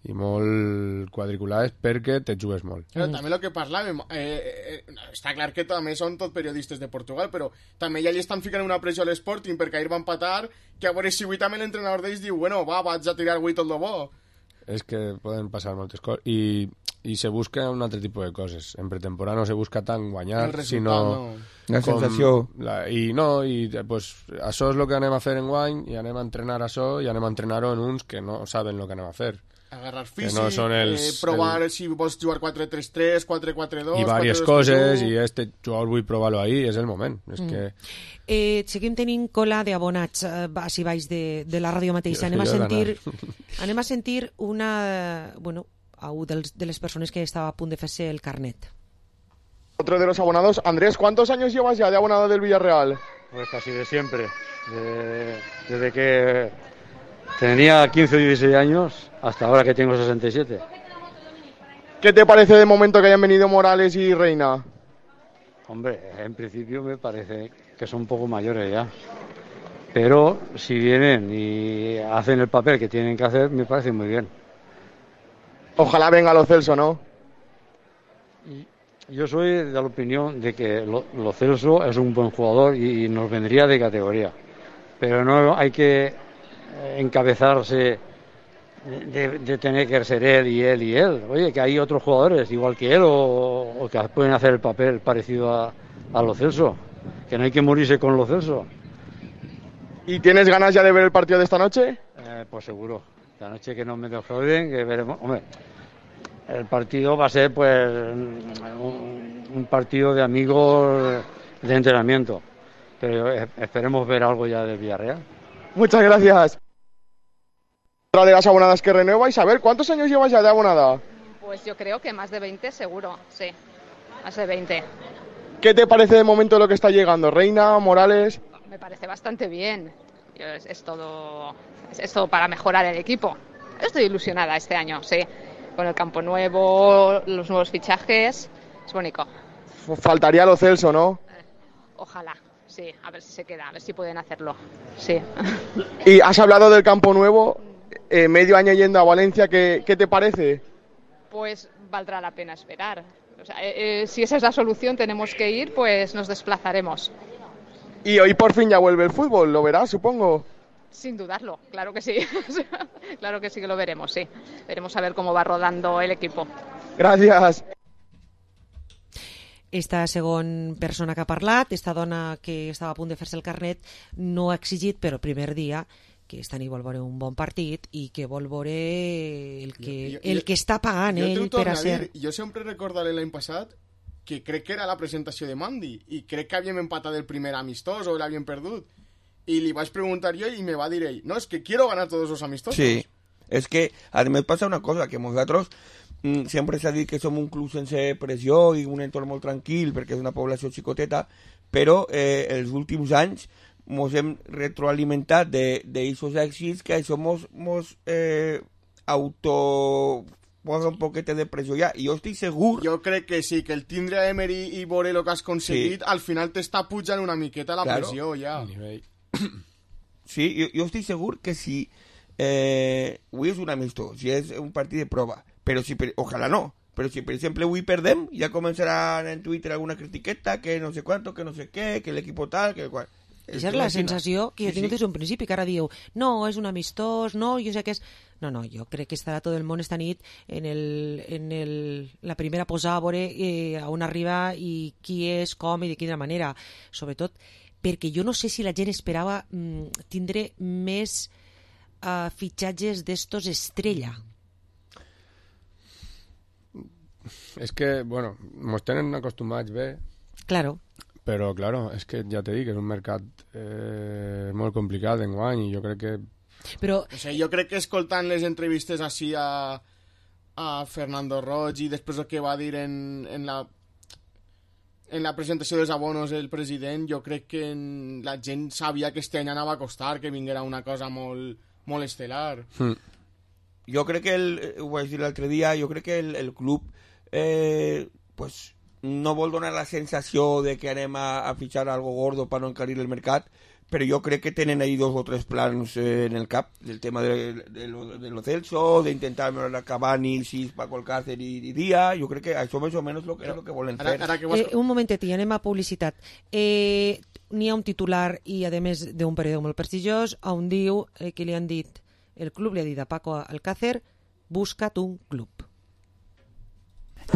i molt quadriculades perquè te jugues molt. Però també el que parlàvem, eh, eh, està clar que també són tot periodistes de Portugal, però també ja li estan ficant una pressió a l'Sporting perquè ahir va empatar, que a veure si avui també l'entrenador d'ells diu, bueno, va, vaig a tirar avui tot lo bo. És que poden passar moltes coses i, i se busca un altre tipus de coses. En pretemporada no se busca tant guanyar, sinó... No. La sensació. La, I no, i pues, això és el que anem a fer en guany i anem a entrenar això i anem a entrenar-ho en uns que no saben el que anem a fer. Agarrar físic, no els, eh, provar el... si vols jugar quatre tres tres, quatre quatre dos... I diverses coses, i este jugador vull provar-lo ahí, és el moment. És mm. que... eh, seguim tenint cola d'abonats eh, baix i baix de, de la ràdio mateixa. Anem a sentir, anem a sentir una... Bueno, a un dels, de les persones que estava a punt de fer-se el carnet. Otro de los abonados. Andrés, ¿cuántos años llevas ya de abonado del Villarreal? Pues casi de siempre. De, desde que tenía quince o dieciséis años hasta ahora que tengo sesenta y siete. ¿Qué te parece de momento que hayan venido Morales y Reina? Hombre, en principio me parece que son un poco mayores ya. Pero si vienen y hacen el papel que tienen que hacer, me parece muy bien. Ojalá venga Lo Celso, ¿no? Yo soy de la opinión de que Lo, Lo Celso es un buen jugador y, y nos vendría de categoría. Pero no hay que encabezarse de, de tener que ser él y él y él. Oye, que hay otros jugadores igual que él o, o que pueden hacer el papel parecido a, a Lo Celso. Que no hay que morirse con Lo Celso. ¿Y tienes ganas ya de ver el partido de esta noche? Eh, pues seguro. La noche que no me defrauden, que veremos. Hombre, el partido va a ser pues un, un partido de amigos de entrenamiento. Pero esperemos ver algo ya del Villarreal. Muchas gracias. Otra de las abonadas que renueva. Isabel, ¿cuántos años llevas ya de abonada? Pues yo creo que más de veinte seguro, sí. Más de veinte. ¿Qué te parece de momento lo que está llegando? Reina, Morales... Me parece bastante bien. Yo, es, es, todo, es, es todo para mejorar el equipo. Estoy ilusionada este año, sí. Con el campo nuevo, los nuevos fichajes. Es bonito. Faltaría Lo Celso, ¿no? Ojalá, sí, a ver si se queda, a ver si pueden hacerlo, sí. Y has hablado del Campo Nuevo, eh, medio año yendo a Valencia, ¿qué, qué te parece? Pues valdrá la pena esperar. O sea, eh, eh, si esa es la solución, tenemos que ir, pues nos desplazaremos. Y hoy por fin ya vuelve el fútbol, lo verás, supongo. Sin dudarlo, claro que sí. Claro que sí que lo veremos, sí. Veremos a ver cómo va rodando el equipo. Gràcies. Esta segona persona que ha parlat, esta dona que estava a punt de fer-se el carnet, no ha exigit, però el primer dia, que esta nit vol veure un bon partit i que vol veure el que, jo, jo, el que està pagant ell per a ser... Jo sempre recordaré l'any passat que crec que era la presentació de Mandy i crec que havíem empatat el primer amistós o l'havíem perdut. Y le vas a preguntar yo y me va a decir, no, es que quiero ganar todos los amistosos. Sí, es que además pasa una cosa, que nosotros mmm, siempre se ha dicho que somos un club sense pressió i un entorn molt tranquil perquè és una població xicoteta, però eh, els últims anys ens hem retroalimentat d'aquests èxits que això mos, mos eh, auto... posa un poquete de pressió ja, i jo estic segur... Jo crec que sí, que el tindre a Emery i veure el que has aconseguit, sí. Al final t'està pujant una miqueta la claro. Pressió ja. Sí, jo, jo estic segur que si eh, avui és un amistós, si és un partit de prova, però si, per, ojalà no, però si per exemple avui perdem, ja començaran en Twitter alguna critiqueta, que no sé quanto, que no sé què, que l'equipo tal, que qual... Aquesta és la sensació que jo sí, tinc des d'un principi, que ara diu, no, és un amistós, no, jo sé que és... No, no, jo crec que estarà tot el món esta nit en, el, en el, la primera posada a veure eh, on arriba i qui és, com i de quina manera. Sobretot perquè jo no sé si la gent esperava mm, tindre més uh, fitxatges d'estos estrella. És que, bueno, mos tenen acostumats bé. Claro. Però, claro, és que ja t'he dit que és un mercat eh, molt complicat d'enguany i jo crec que... Però... O sigui, jo crec que escoltant les entrevistes així a, a Fernando Roig i després el que va dir en, en, la, en la presentació dels abonos el president, jo crec que en, la gent sabia que este any anava a costar, que vinguera una cosa molt, molt estel·lar. Mm. Jo crec que, el, ho vaig dir l'altre dia, jo crec que el, el club eh, pues, no vol donar la sensació de que anem a, a fitxar algo gordo per no encarir el mercat, però jo crec que tenen ahí dos o tres plans eh, en el cap, del tema de, de, lo, de lo Celso, d'intentar mejorar Cavani, Sis, Paco Alcácer i, i Díaz, jo crec que això més o menys lo que, és lo que volen fer. Ara, ara que vas... eh, un momentet, i anem a publicitat. Eh, N'hi ha un titular, i a més d'un periòdic molt prestigiós, on diu eh, que li han dit, el club li ha dit a Paco Alcácer, busca't un club.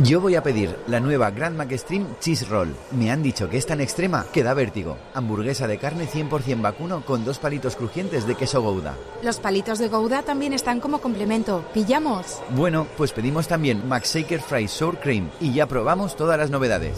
Yo voy a pedir la nueva Grand McStream Cheese Roll. Me han dicho que es tan extrema que da vértigo. Hamburguesa de carne cien por ciento vacuno con dos palitos crujientes de queso Gouda. Los palitos de Gouda también están como complemento. ¿Pillamos? Bueno, pues pedimos también McShaker Fries Sour Cream y ya probamos todas las novedades.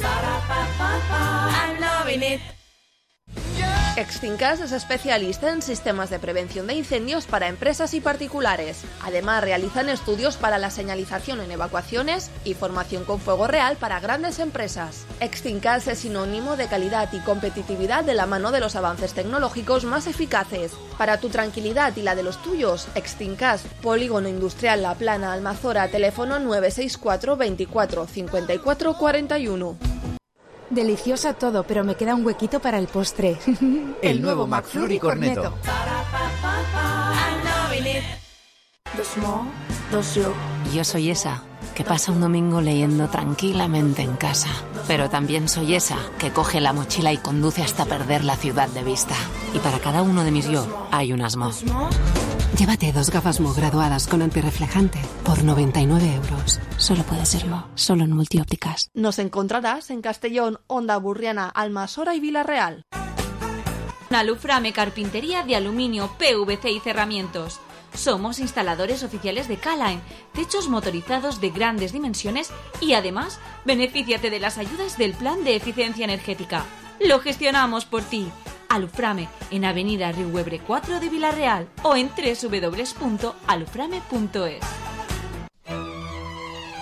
Extincas es especialista en sistemas de prevención de incendios para empresas y particulares. Además, realizan estudios para la señalización en evacuaciones y formación con fuego real para grandes empresas. Extincas es sinónimo de calidad y competitividad de la mano de los avances tecnológicos más eficaces. Para tu tranquilidad y la de los tuyos, Extincas, Polígono Industrial La Plana, Almazora, teléfono nueve seis cuatro veinticuatro cincuenta y cuatro cuarenta y uno. Delicioso todo, pero me queda un huequito para el postre. El, el nuevo McFlurry Cornetto. Yo soy esa que pasa un domingo leyendo tranquilamente en casa, pero también soy esa que coge la mochila y conduce hasta perder la ciudad de vista. Y para cada uno de mis yo hay un Asmo. Llévate dos gafas Mo graduadas con antirreflejante por noventa y nueve euros. Solo puede ser Mo, solo en Multiópticas. Nos encontrarás en Castellón, Onda Burriana, Almasora y Villarreal. Aluframe Carpintería de Aluminio, P V C y Cerramientos. Somos instaladores oficiales de K-Line, techos motorizados de grandes dimensiones y además benefíciate de las ayudas del Plan de Eficiencia Energética. Lo gestionamos por ti. Aluframe, en Avenida Riuebre cuatro de Villarreal o en doble u doble u doble u punto aluframe punto es.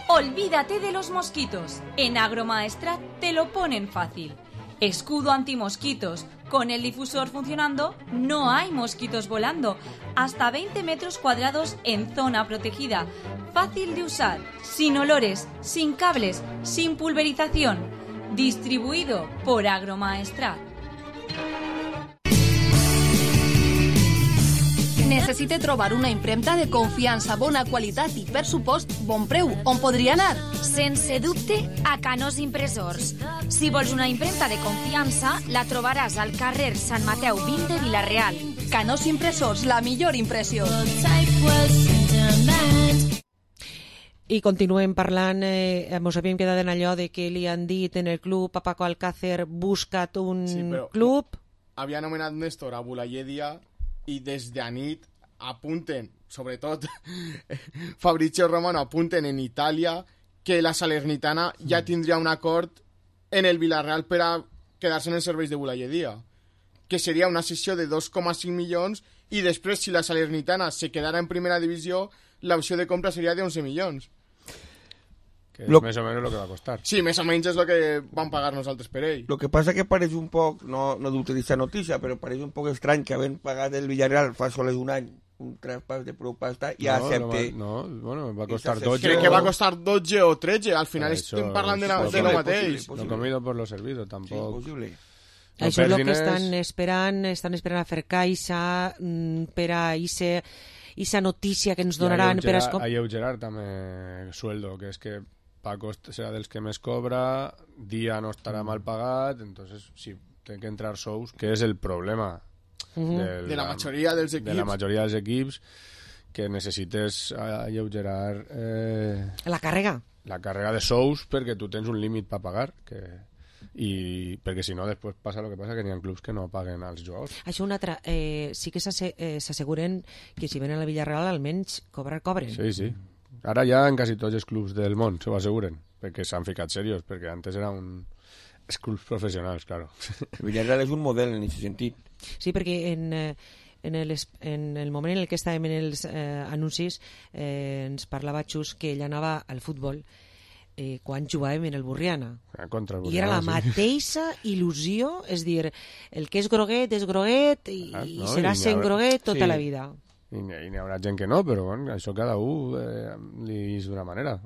Olvídate de los mosquitos. En Agromaestrat te lo ponen fácil. Escudo antimosquitos. Con el difusor funcionando, no hay mosquitos volando. Hasta veinte metros cuadrados en zona protegida. Fácil de usar, sin olores, sin cables, sin pulverización. Distribuido por Agromaestrat. Necessita trobar una impremta de confiança, bona qualitat i, per supost, bon preu. On podria anar? Sense dubte, a Canós Impressors. Si vols una impremta de confiança, la trobaràs al carrer Sant Mateu vint de Vila-real. Canós Impressors, la millor impressió. I continuem parlant, eh, mos havíem quedat en allò de que li han dit en el club a Paco Alcácer, busca't un sí, però club. Havia anomenat Néstor a Bulayedia i des de nit apunten, sobretot Fabrizio Romano, apunten en Itàlia que la Salernitana ja tindria un acord en el Villarreal per a quedar-se en els serveis de Bulayedia, que seria una sessió de dos coma cinc milions i després, si la Salernitana se quedara en primera divisió, l'opció de compra seria de once milions. Que és lo... més o menys el que va costar. Sí, més o menys és el que van pagar nosaltres per ell. Lo que passa que pareix un poc, no, no d'utilitzar notícia, però pareix un poc estrany que havent pagat el Villarreal fa sols un any un traspàs de prou pasta i no, accepte... No, no, bueno, va costar dotze... Crec que va costar dotze o tretze, al final eso, estem parlant de, la, de lo mateix. Lo comido por lo servido, tampoc... Sí, possible. No, això és el que estan esperant, estan esperant a fer caixa per a ese... esa notícia que ens donaran per a... alleugerar també sueldo, que és que Paco serà dels que més cobra, dia no estarà mal pagat, entonces sí, té que entrar sous, que és el problema uh-huh. del, de la majoria dels equips, de la majoria dels equips que necessites alleugerar eh, la càrrega la càrrega de sous perquè tu tens un límit per pagar, que i perquè si no després passa el que passa, que n'hi ha clubs que no paguen als jugadors. Això una altra, eh, sí que s'asseguren que si venen a la Villarreal almenys cobrar cobren. Sí, sí. Ara ja en quasi tots els clubs del món s'ho asseguren, perquè s'han ficat serios, perquè antes era un... els clubs professionals, claro. Villarreal és un model en aquest sentit. Sí, perquè en... Eh, En el, en el moment en el que estàvem en els eh, anuncis eh, ens parlava Xus que ell anava al futbol eh, quan jugàvem en el Burriana. Ah, contra el Burriana, i era la mateixa sí. il·lusió, és dir, el que és groguet és groguet i, ah, no, i serà i sent groguet tota sí. la vida. I n'hi haurà gent que no, però bueno, això cada un eh, li és d'una manera.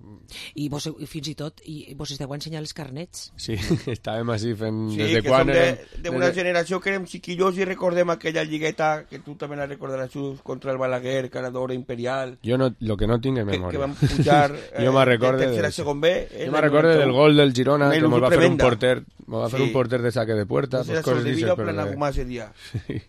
I vos, fins i tot, i vos esteu ensenyant els carnets. Sí, estàvem així fent... Sí, des de que quan som érem, d'una des... generació que érem xiquillos i recordem aquella lligueta que tu també la recordaràs contra el Balaguer, Caradora Imperial. Jo no, lo que no tinc és memòria. Que, que vam pujar eh, jo de tercera a segon B. Jo me'n recorde del gol del Girona, que mos va fer un porter, mos va fer sí. un porter de saque de puerta. Pues pues coses d'això, però... Plana ese dia. Sí.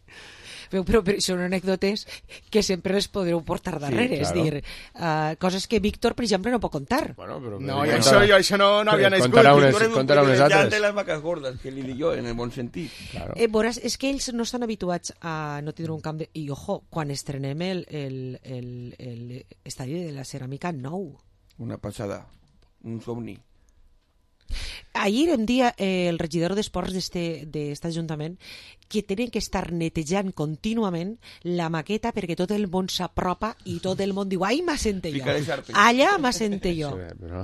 Però, però, però són anècdotes que sempre les podreu portar darrere, sí, claro. És dir, uh, coses que Víctor, per exemple, no pot contar. Bueno, però, no, i això, jo, això no, no havia nascut. Contarà unes, contarà unes altres. de les vaques gordes, que li dic jo, en el bon sentit. Claro. Eh, veuràs, és que ells no estan habituats a no tindre un camp de... I, ojo, quan estrenem el, el, el, el estadi de la Ceràmica nou. Una passada, un somni. Ahir em dia eh, el regidor d'Esports d'aquest ajuntament que tenen que estar netejant contínuament la maqueta perquè tot el món s'apropa i tot el món diu ai, m'assente jo, allà m'assente jo. Sí, però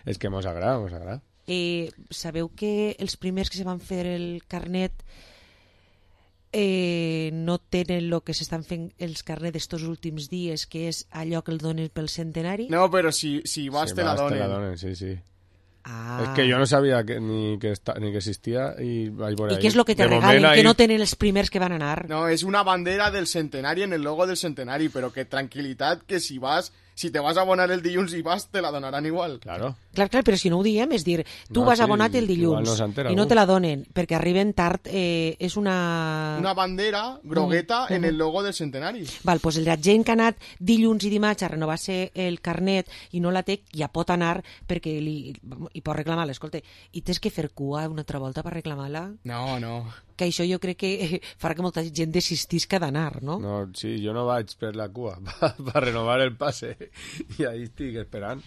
és que mos agrada, mos agrada. Eh, sabeu que els primers que se van fer el carnet eh, no tenen el que s'estan fent els carnets estos últims dies, que és allò que el donen pel centenari? No, però si, si vas si te la donen. Te la donen, sí, sí. Ah. És que jo no sabia que, ni, que esta, ni que existia i vaig veure I què és el que te de regalen, que ahí... no tenen els primers que van anar? No, és una bandera del centenari en el logo del centenari, però que tranquil·litat que si vas, si te vas a abonar el dilluns i vas, te la donaran igual. Claro. Clar, clar, però si no ho diem, és dir, tu no, vas sí, abonat el dilluns no i no te la donen, perquè arriben tard, eh, és una... Una bandera grogueta mm. en el logo del centenari. Val, doncs la gent que ha anat dilluns i dimarts a renovar-se el carnet i no la té, ja pot anar perquè li, i pot reclamar-la, escolta, i tens que fer cua una altra volta per reclamar-la? No, no. Que això jo crec que farà que molta gent desistisca d'anar, no? No, sí, jo no vaig per la cua, per renovar el passe, i ahí estic esperant.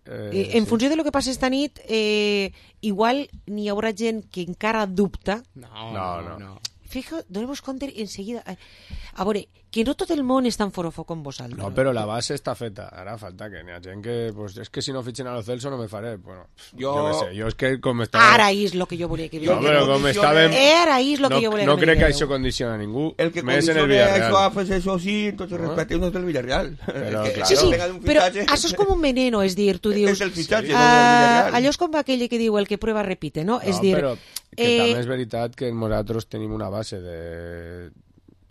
Eh, en sí. funció de lo que passa esta nit, eh, igual n'hi haurà gent que encara dubta. No, no, no. no. Fijo, donem-vos compte enseguida. A veure, que no tot el món és tan forofo com vosaltres. No, però la base està feta. Ara falta que n'hi ha gent que... Pues, és que si no fitxen a lo Celso no me faré. Bueno, jo... jo què sé, jo és que com estava... Ara és lo que jo volia que... No, però com estàvem... Ara és lo que no, jo volia no que... No crec que això condiciona a ningú. El que més condiciona en el Villarreal. això a fer això sí, entonces no. respetemos del Villarreal. Però, que, claro. Sí, sí, però això és com un veneno, és dir, tu dius... És el fitxatge, uh, no del Villarreal. Allò és com aquell que diu el que prueba repite, no? no és dir... Però Que Eh, també és veritat que nosaltres tenim una base de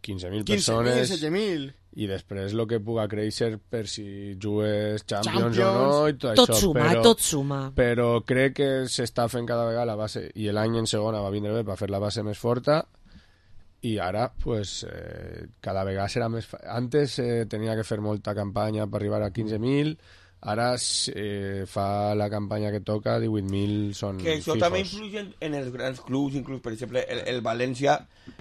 quinze mil persones setze mil i després el que puga créixer per si jugues Champions, Champions. o no i tot, Tot això, suma, però, tot suma. però crec que s'està fent cada vegada la base i l'any en segona va vindre bé per fer la base més forta i ara pues, eh, cada vegada serà més fa... antes eh, tenia que fer molta campanya per arribar a quinze mil, ara eh, fa la campanya que toca, divuit mil són que això fijos. també influye en, en els grans clubs, inclús per exemple el, el València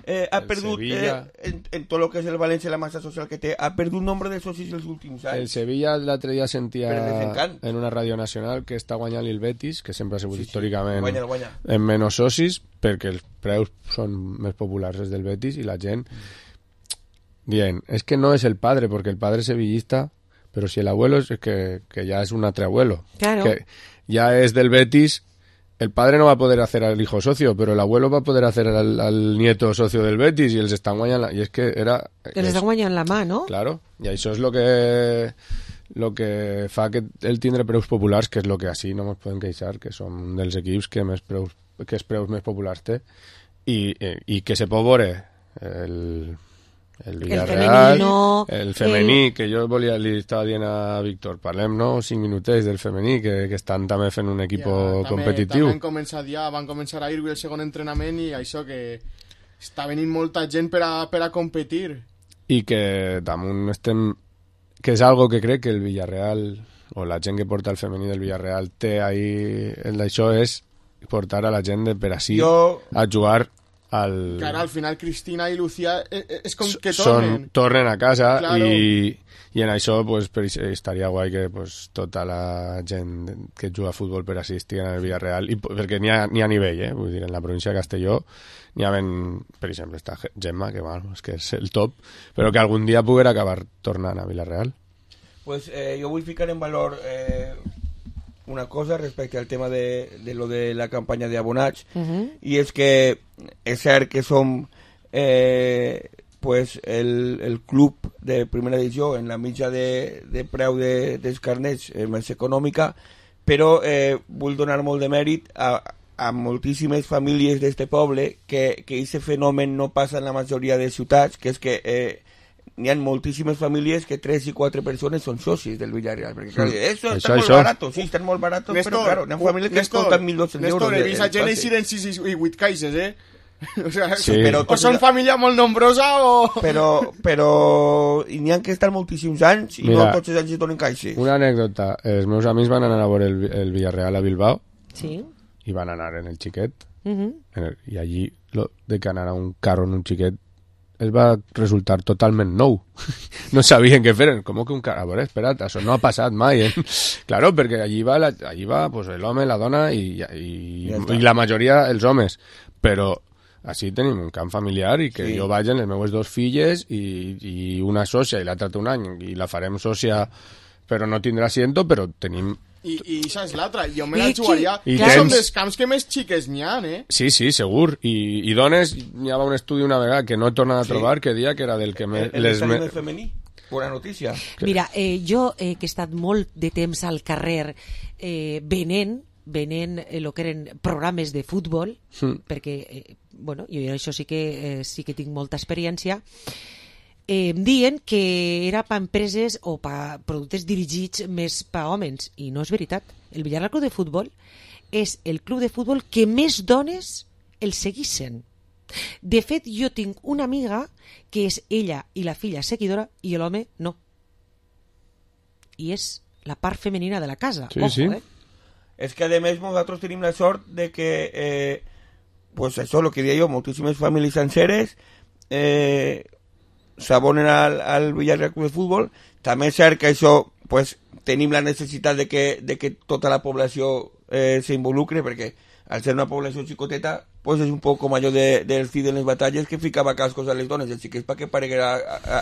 eh, ha El perdut eh, en, en tot el que és el València, la massa social que té, ha perdut nombre de socis els últims anys. El Sevilla l'altre dia sentia Per desencant. en una ràdio nacional que està guanyant el Betis, que sempre ha sigut Sí, sí. històricament Guanya, guanya. en menys socis, perquè els preus són més populars els del Betis i la gent dient, és que no és el padre, perquè el padre és sevillista, pero si el abuelo es que, que ya es un otro abuelo, Claro. que ya es del Betis, el padre no va a poder hacer al hijo socio, pero el abuelo va a poder hacer al, al nieto socio del Betis y els estan guanyant, la... y es que era... Que les estan guanyant la mà, no? Claro, i això és lo que lo que fa que el tindre preus populars, que és lo que així no ens podem queixar, que som dels equips que més preus, que els preus més populars té, i, i, i que se pot veure el... El Villarreal, femenino, el femení, el... que jo volia, li estava dient a Víctor, parlem, no?, cinc minutets del femení, que, que estan també fent un equip ja, competitiu. També han començat ja, van començar a ir el segon entrenament i això que està venint molta gent per a, per a competir. I que damunt estem... que és algo que crec que el Villarreal, o la gent que porta el femení del Villarreal té ahí, en això és portar a la gent de per així Jo... a jugar al... Que ara al final Cristina i Lucía és, és com que Són, tornen. tornen a casa Claro. i, i en això pues, per, estaria guai que pues, tota la gent que juga a futbol per així estigui en el Villarreal, i, perquè n'hi ha, n'hi ha nivell, eh? Vull dir, en la província de Castelló n'hi ha ben, per exemple, està Gemma, que, bueno, és que és el top, però que algun dia poguera acabar tornant a Villarreal. Pues eh, jo vull ficar en valor eh, una cosa respecte al tema de, de lo de la campanya d'abonats, Uh-huh. i és que és cert que som eh, pues el, el club de primera divisió en la mitja de, de preu de, dels carnets eh, més econòmica, però eh, vull donar molt de mèrit a, a moltíssimes famílies d'este poble que, que aquest fenomen no passa en la majoria de ciutats, que és que eh, n'hi ha moltíssimes famílies que tres i quatre persones són socis del Villarreal, perquè clar, Mm. eso Això, está molt això. barato, sí, estan molt baratos, Néstor, però claro, n'hi ha famílies que es Néstor, compten mil dos-cents euros. Néstor, he de- vist el a gent pase. eixir en sis i vuit caixes, eh? O sea, Sí. però, Però o són família molt nombrosa o... però, però n'hi ha que estar moltíssims anys i Mira, no tots els anys es donen caixes. Una anècdota, els meus amics van anar a veure el, el Villarreal a Bilbao Sí. i van anar en el xiquet, Uh-huh. en el, i allí lo de que anar a un carro en un xiquet els va resultar totalment nou. No sabien què fer. Com que un carro? A veure, espera't, això no ha passat mai. Eh? Claro, perquè allí va, la, allí va pues, l'home, la dona i, i, Ja està. i la majoria els homes. Però així tenim un camp familiar i que Sí. jo vaig amb les meves dos filles i, i una sòcia i l'altra té un any i la farem sòcia però no tindrà asiento, però tenim... I, i això és l'altra, jo me I la aquí- jugaria. I I són tens- dels camps que més xiques n'hi ha, eh? Sí, sí, segur. I, i dones, hi havia un estudi una vegada que no he tornat a Sí. trobar, que dia que era del que me, El, el les estadi me, més femení, bona notícia. Mira, eh, jo eh, que he estat molt de temps al carrer eh, venent, venent eh, lo que eren programes de futbol, Mm. perquè, eh, bueno, jo en això sí que, eh, sí que tinc molta experiència, eh, em diuen que era per empreses o per productes dirigits més per homes, i no és veritat. El Villarreal Club de Futbol és el club de futbol que més dones el seguissin. De fet, jo tinc una amiga que és ella i la filla seguidora i l'home no. I és la part femenina de la casa. Sí, Ojo, sí. eh? És que a més nosaltres tenim la sort de que eh, pues això, el que deia jo, moltíssimes famílies senceres eh, s'abonen al, al Villarreal Club de Futbol. També és cert que això pues, tenim la necessitat de que, de que tota la població eh, s'involucre, perquè al ser una població xicoteta pues és un poc com allò de, del Cid en les batalles que ficava cascos a les dones, els xiquets perquè pareguera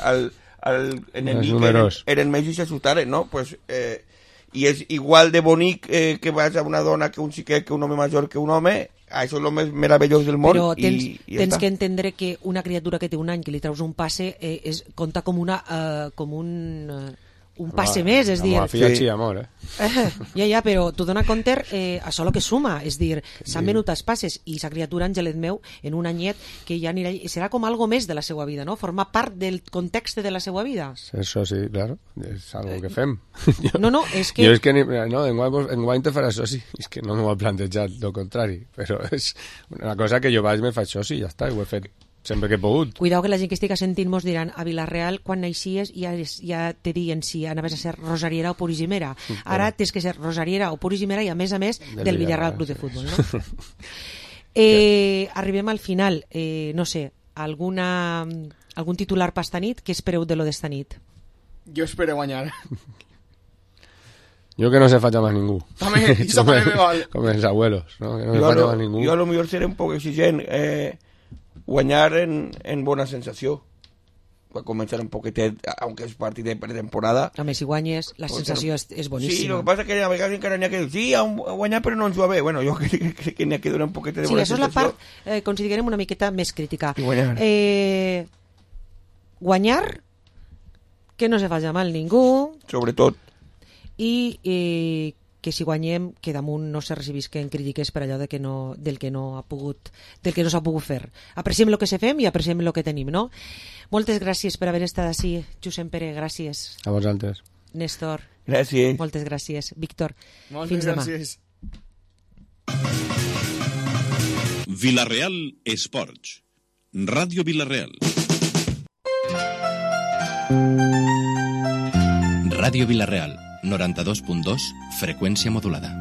al, al enemic eren, números. eren més i s'assustaren, no? Pues, eh, i és igual de bonic eh, que vas a una dona que un xiquet, que un home major que un home, això és el més meravellós del món. Però tens, i, i ja tens està. que entendre que una criatura que té un any que li treus un passe eh, és, compta com una eh, com un, eh, un passe més, és dir... La filla sí. amor, eh? eh? Ja, ja, però tu dona compte eh, això el que suma, és dir, s'han sí. venut els passes i sa criatura, Angelet meu, en un anyet que ja anirà, serà com algo més de la seva vida, no? Formar part del context de la seva vida. Això sí, claro, és algo que fem. jo, no, no, és que... Jo és que, ni, no, en guany, en guany te farà soci, és que no m'ho he plantejat, el contrari, però és una cosa que jo vaig me faig soci, ja està, ho he fet sempre que he pogut. Cuidao que la gent que estic sentint mos diran a Vilareal quan naixies ja, ja te diuen si anaves a ser rosariera o purissimera. Ara tens que ser rosariera o purissimera i a més a més del, del Villarreal Club sí. de Futbol, no? eh, arribem al final, eh, no sé, alguna, algun titular per esta nit? Què espereu de lo d'esta nit? Jo espero guanyar. Yo que no se falla más ningú. També, eso como, me vale. Como mis abuelos, ¿no? Que no yo se falla lo, más ningú. Jo a lo millor seré un poc exigent. Eh, guanyar en, en bona sensació. Va començar un poquetet, aunque és partit de pretemporada. Home, si guanyes, la pues sensació és, és boníssima. Sí, lo que pasa es que a vegades encara n'hi ha que dir, sí, ha guanyat però no ens va bé. Bueno, jo crec que, que n'hi ha que donar un poquet de sí, bona sensació. Sí, això és la part, eh, considerem una miqueta més crítica. I guanyar. Eh, guanyar, que no se faci mal ningú. Sobretot. I eh, que si guanyem que damunt no se recibisquen crítiques per allò de que no, del que no ha pogut del que no s'ha pogut fer. Apreciem el que se fem i apreciem el que tenim, no? Moltes gràcies per haver estat així, Josep Pere, gràcies. A vosaltres. Néstor. Gràcies. Moltes gràcies. Víctor. Moltes fins gràcies. Demà. Vilareal Esports. Ràdio Vilareal. Ràdio Vilareal, noranta-dos punt dos, freqüència modulada.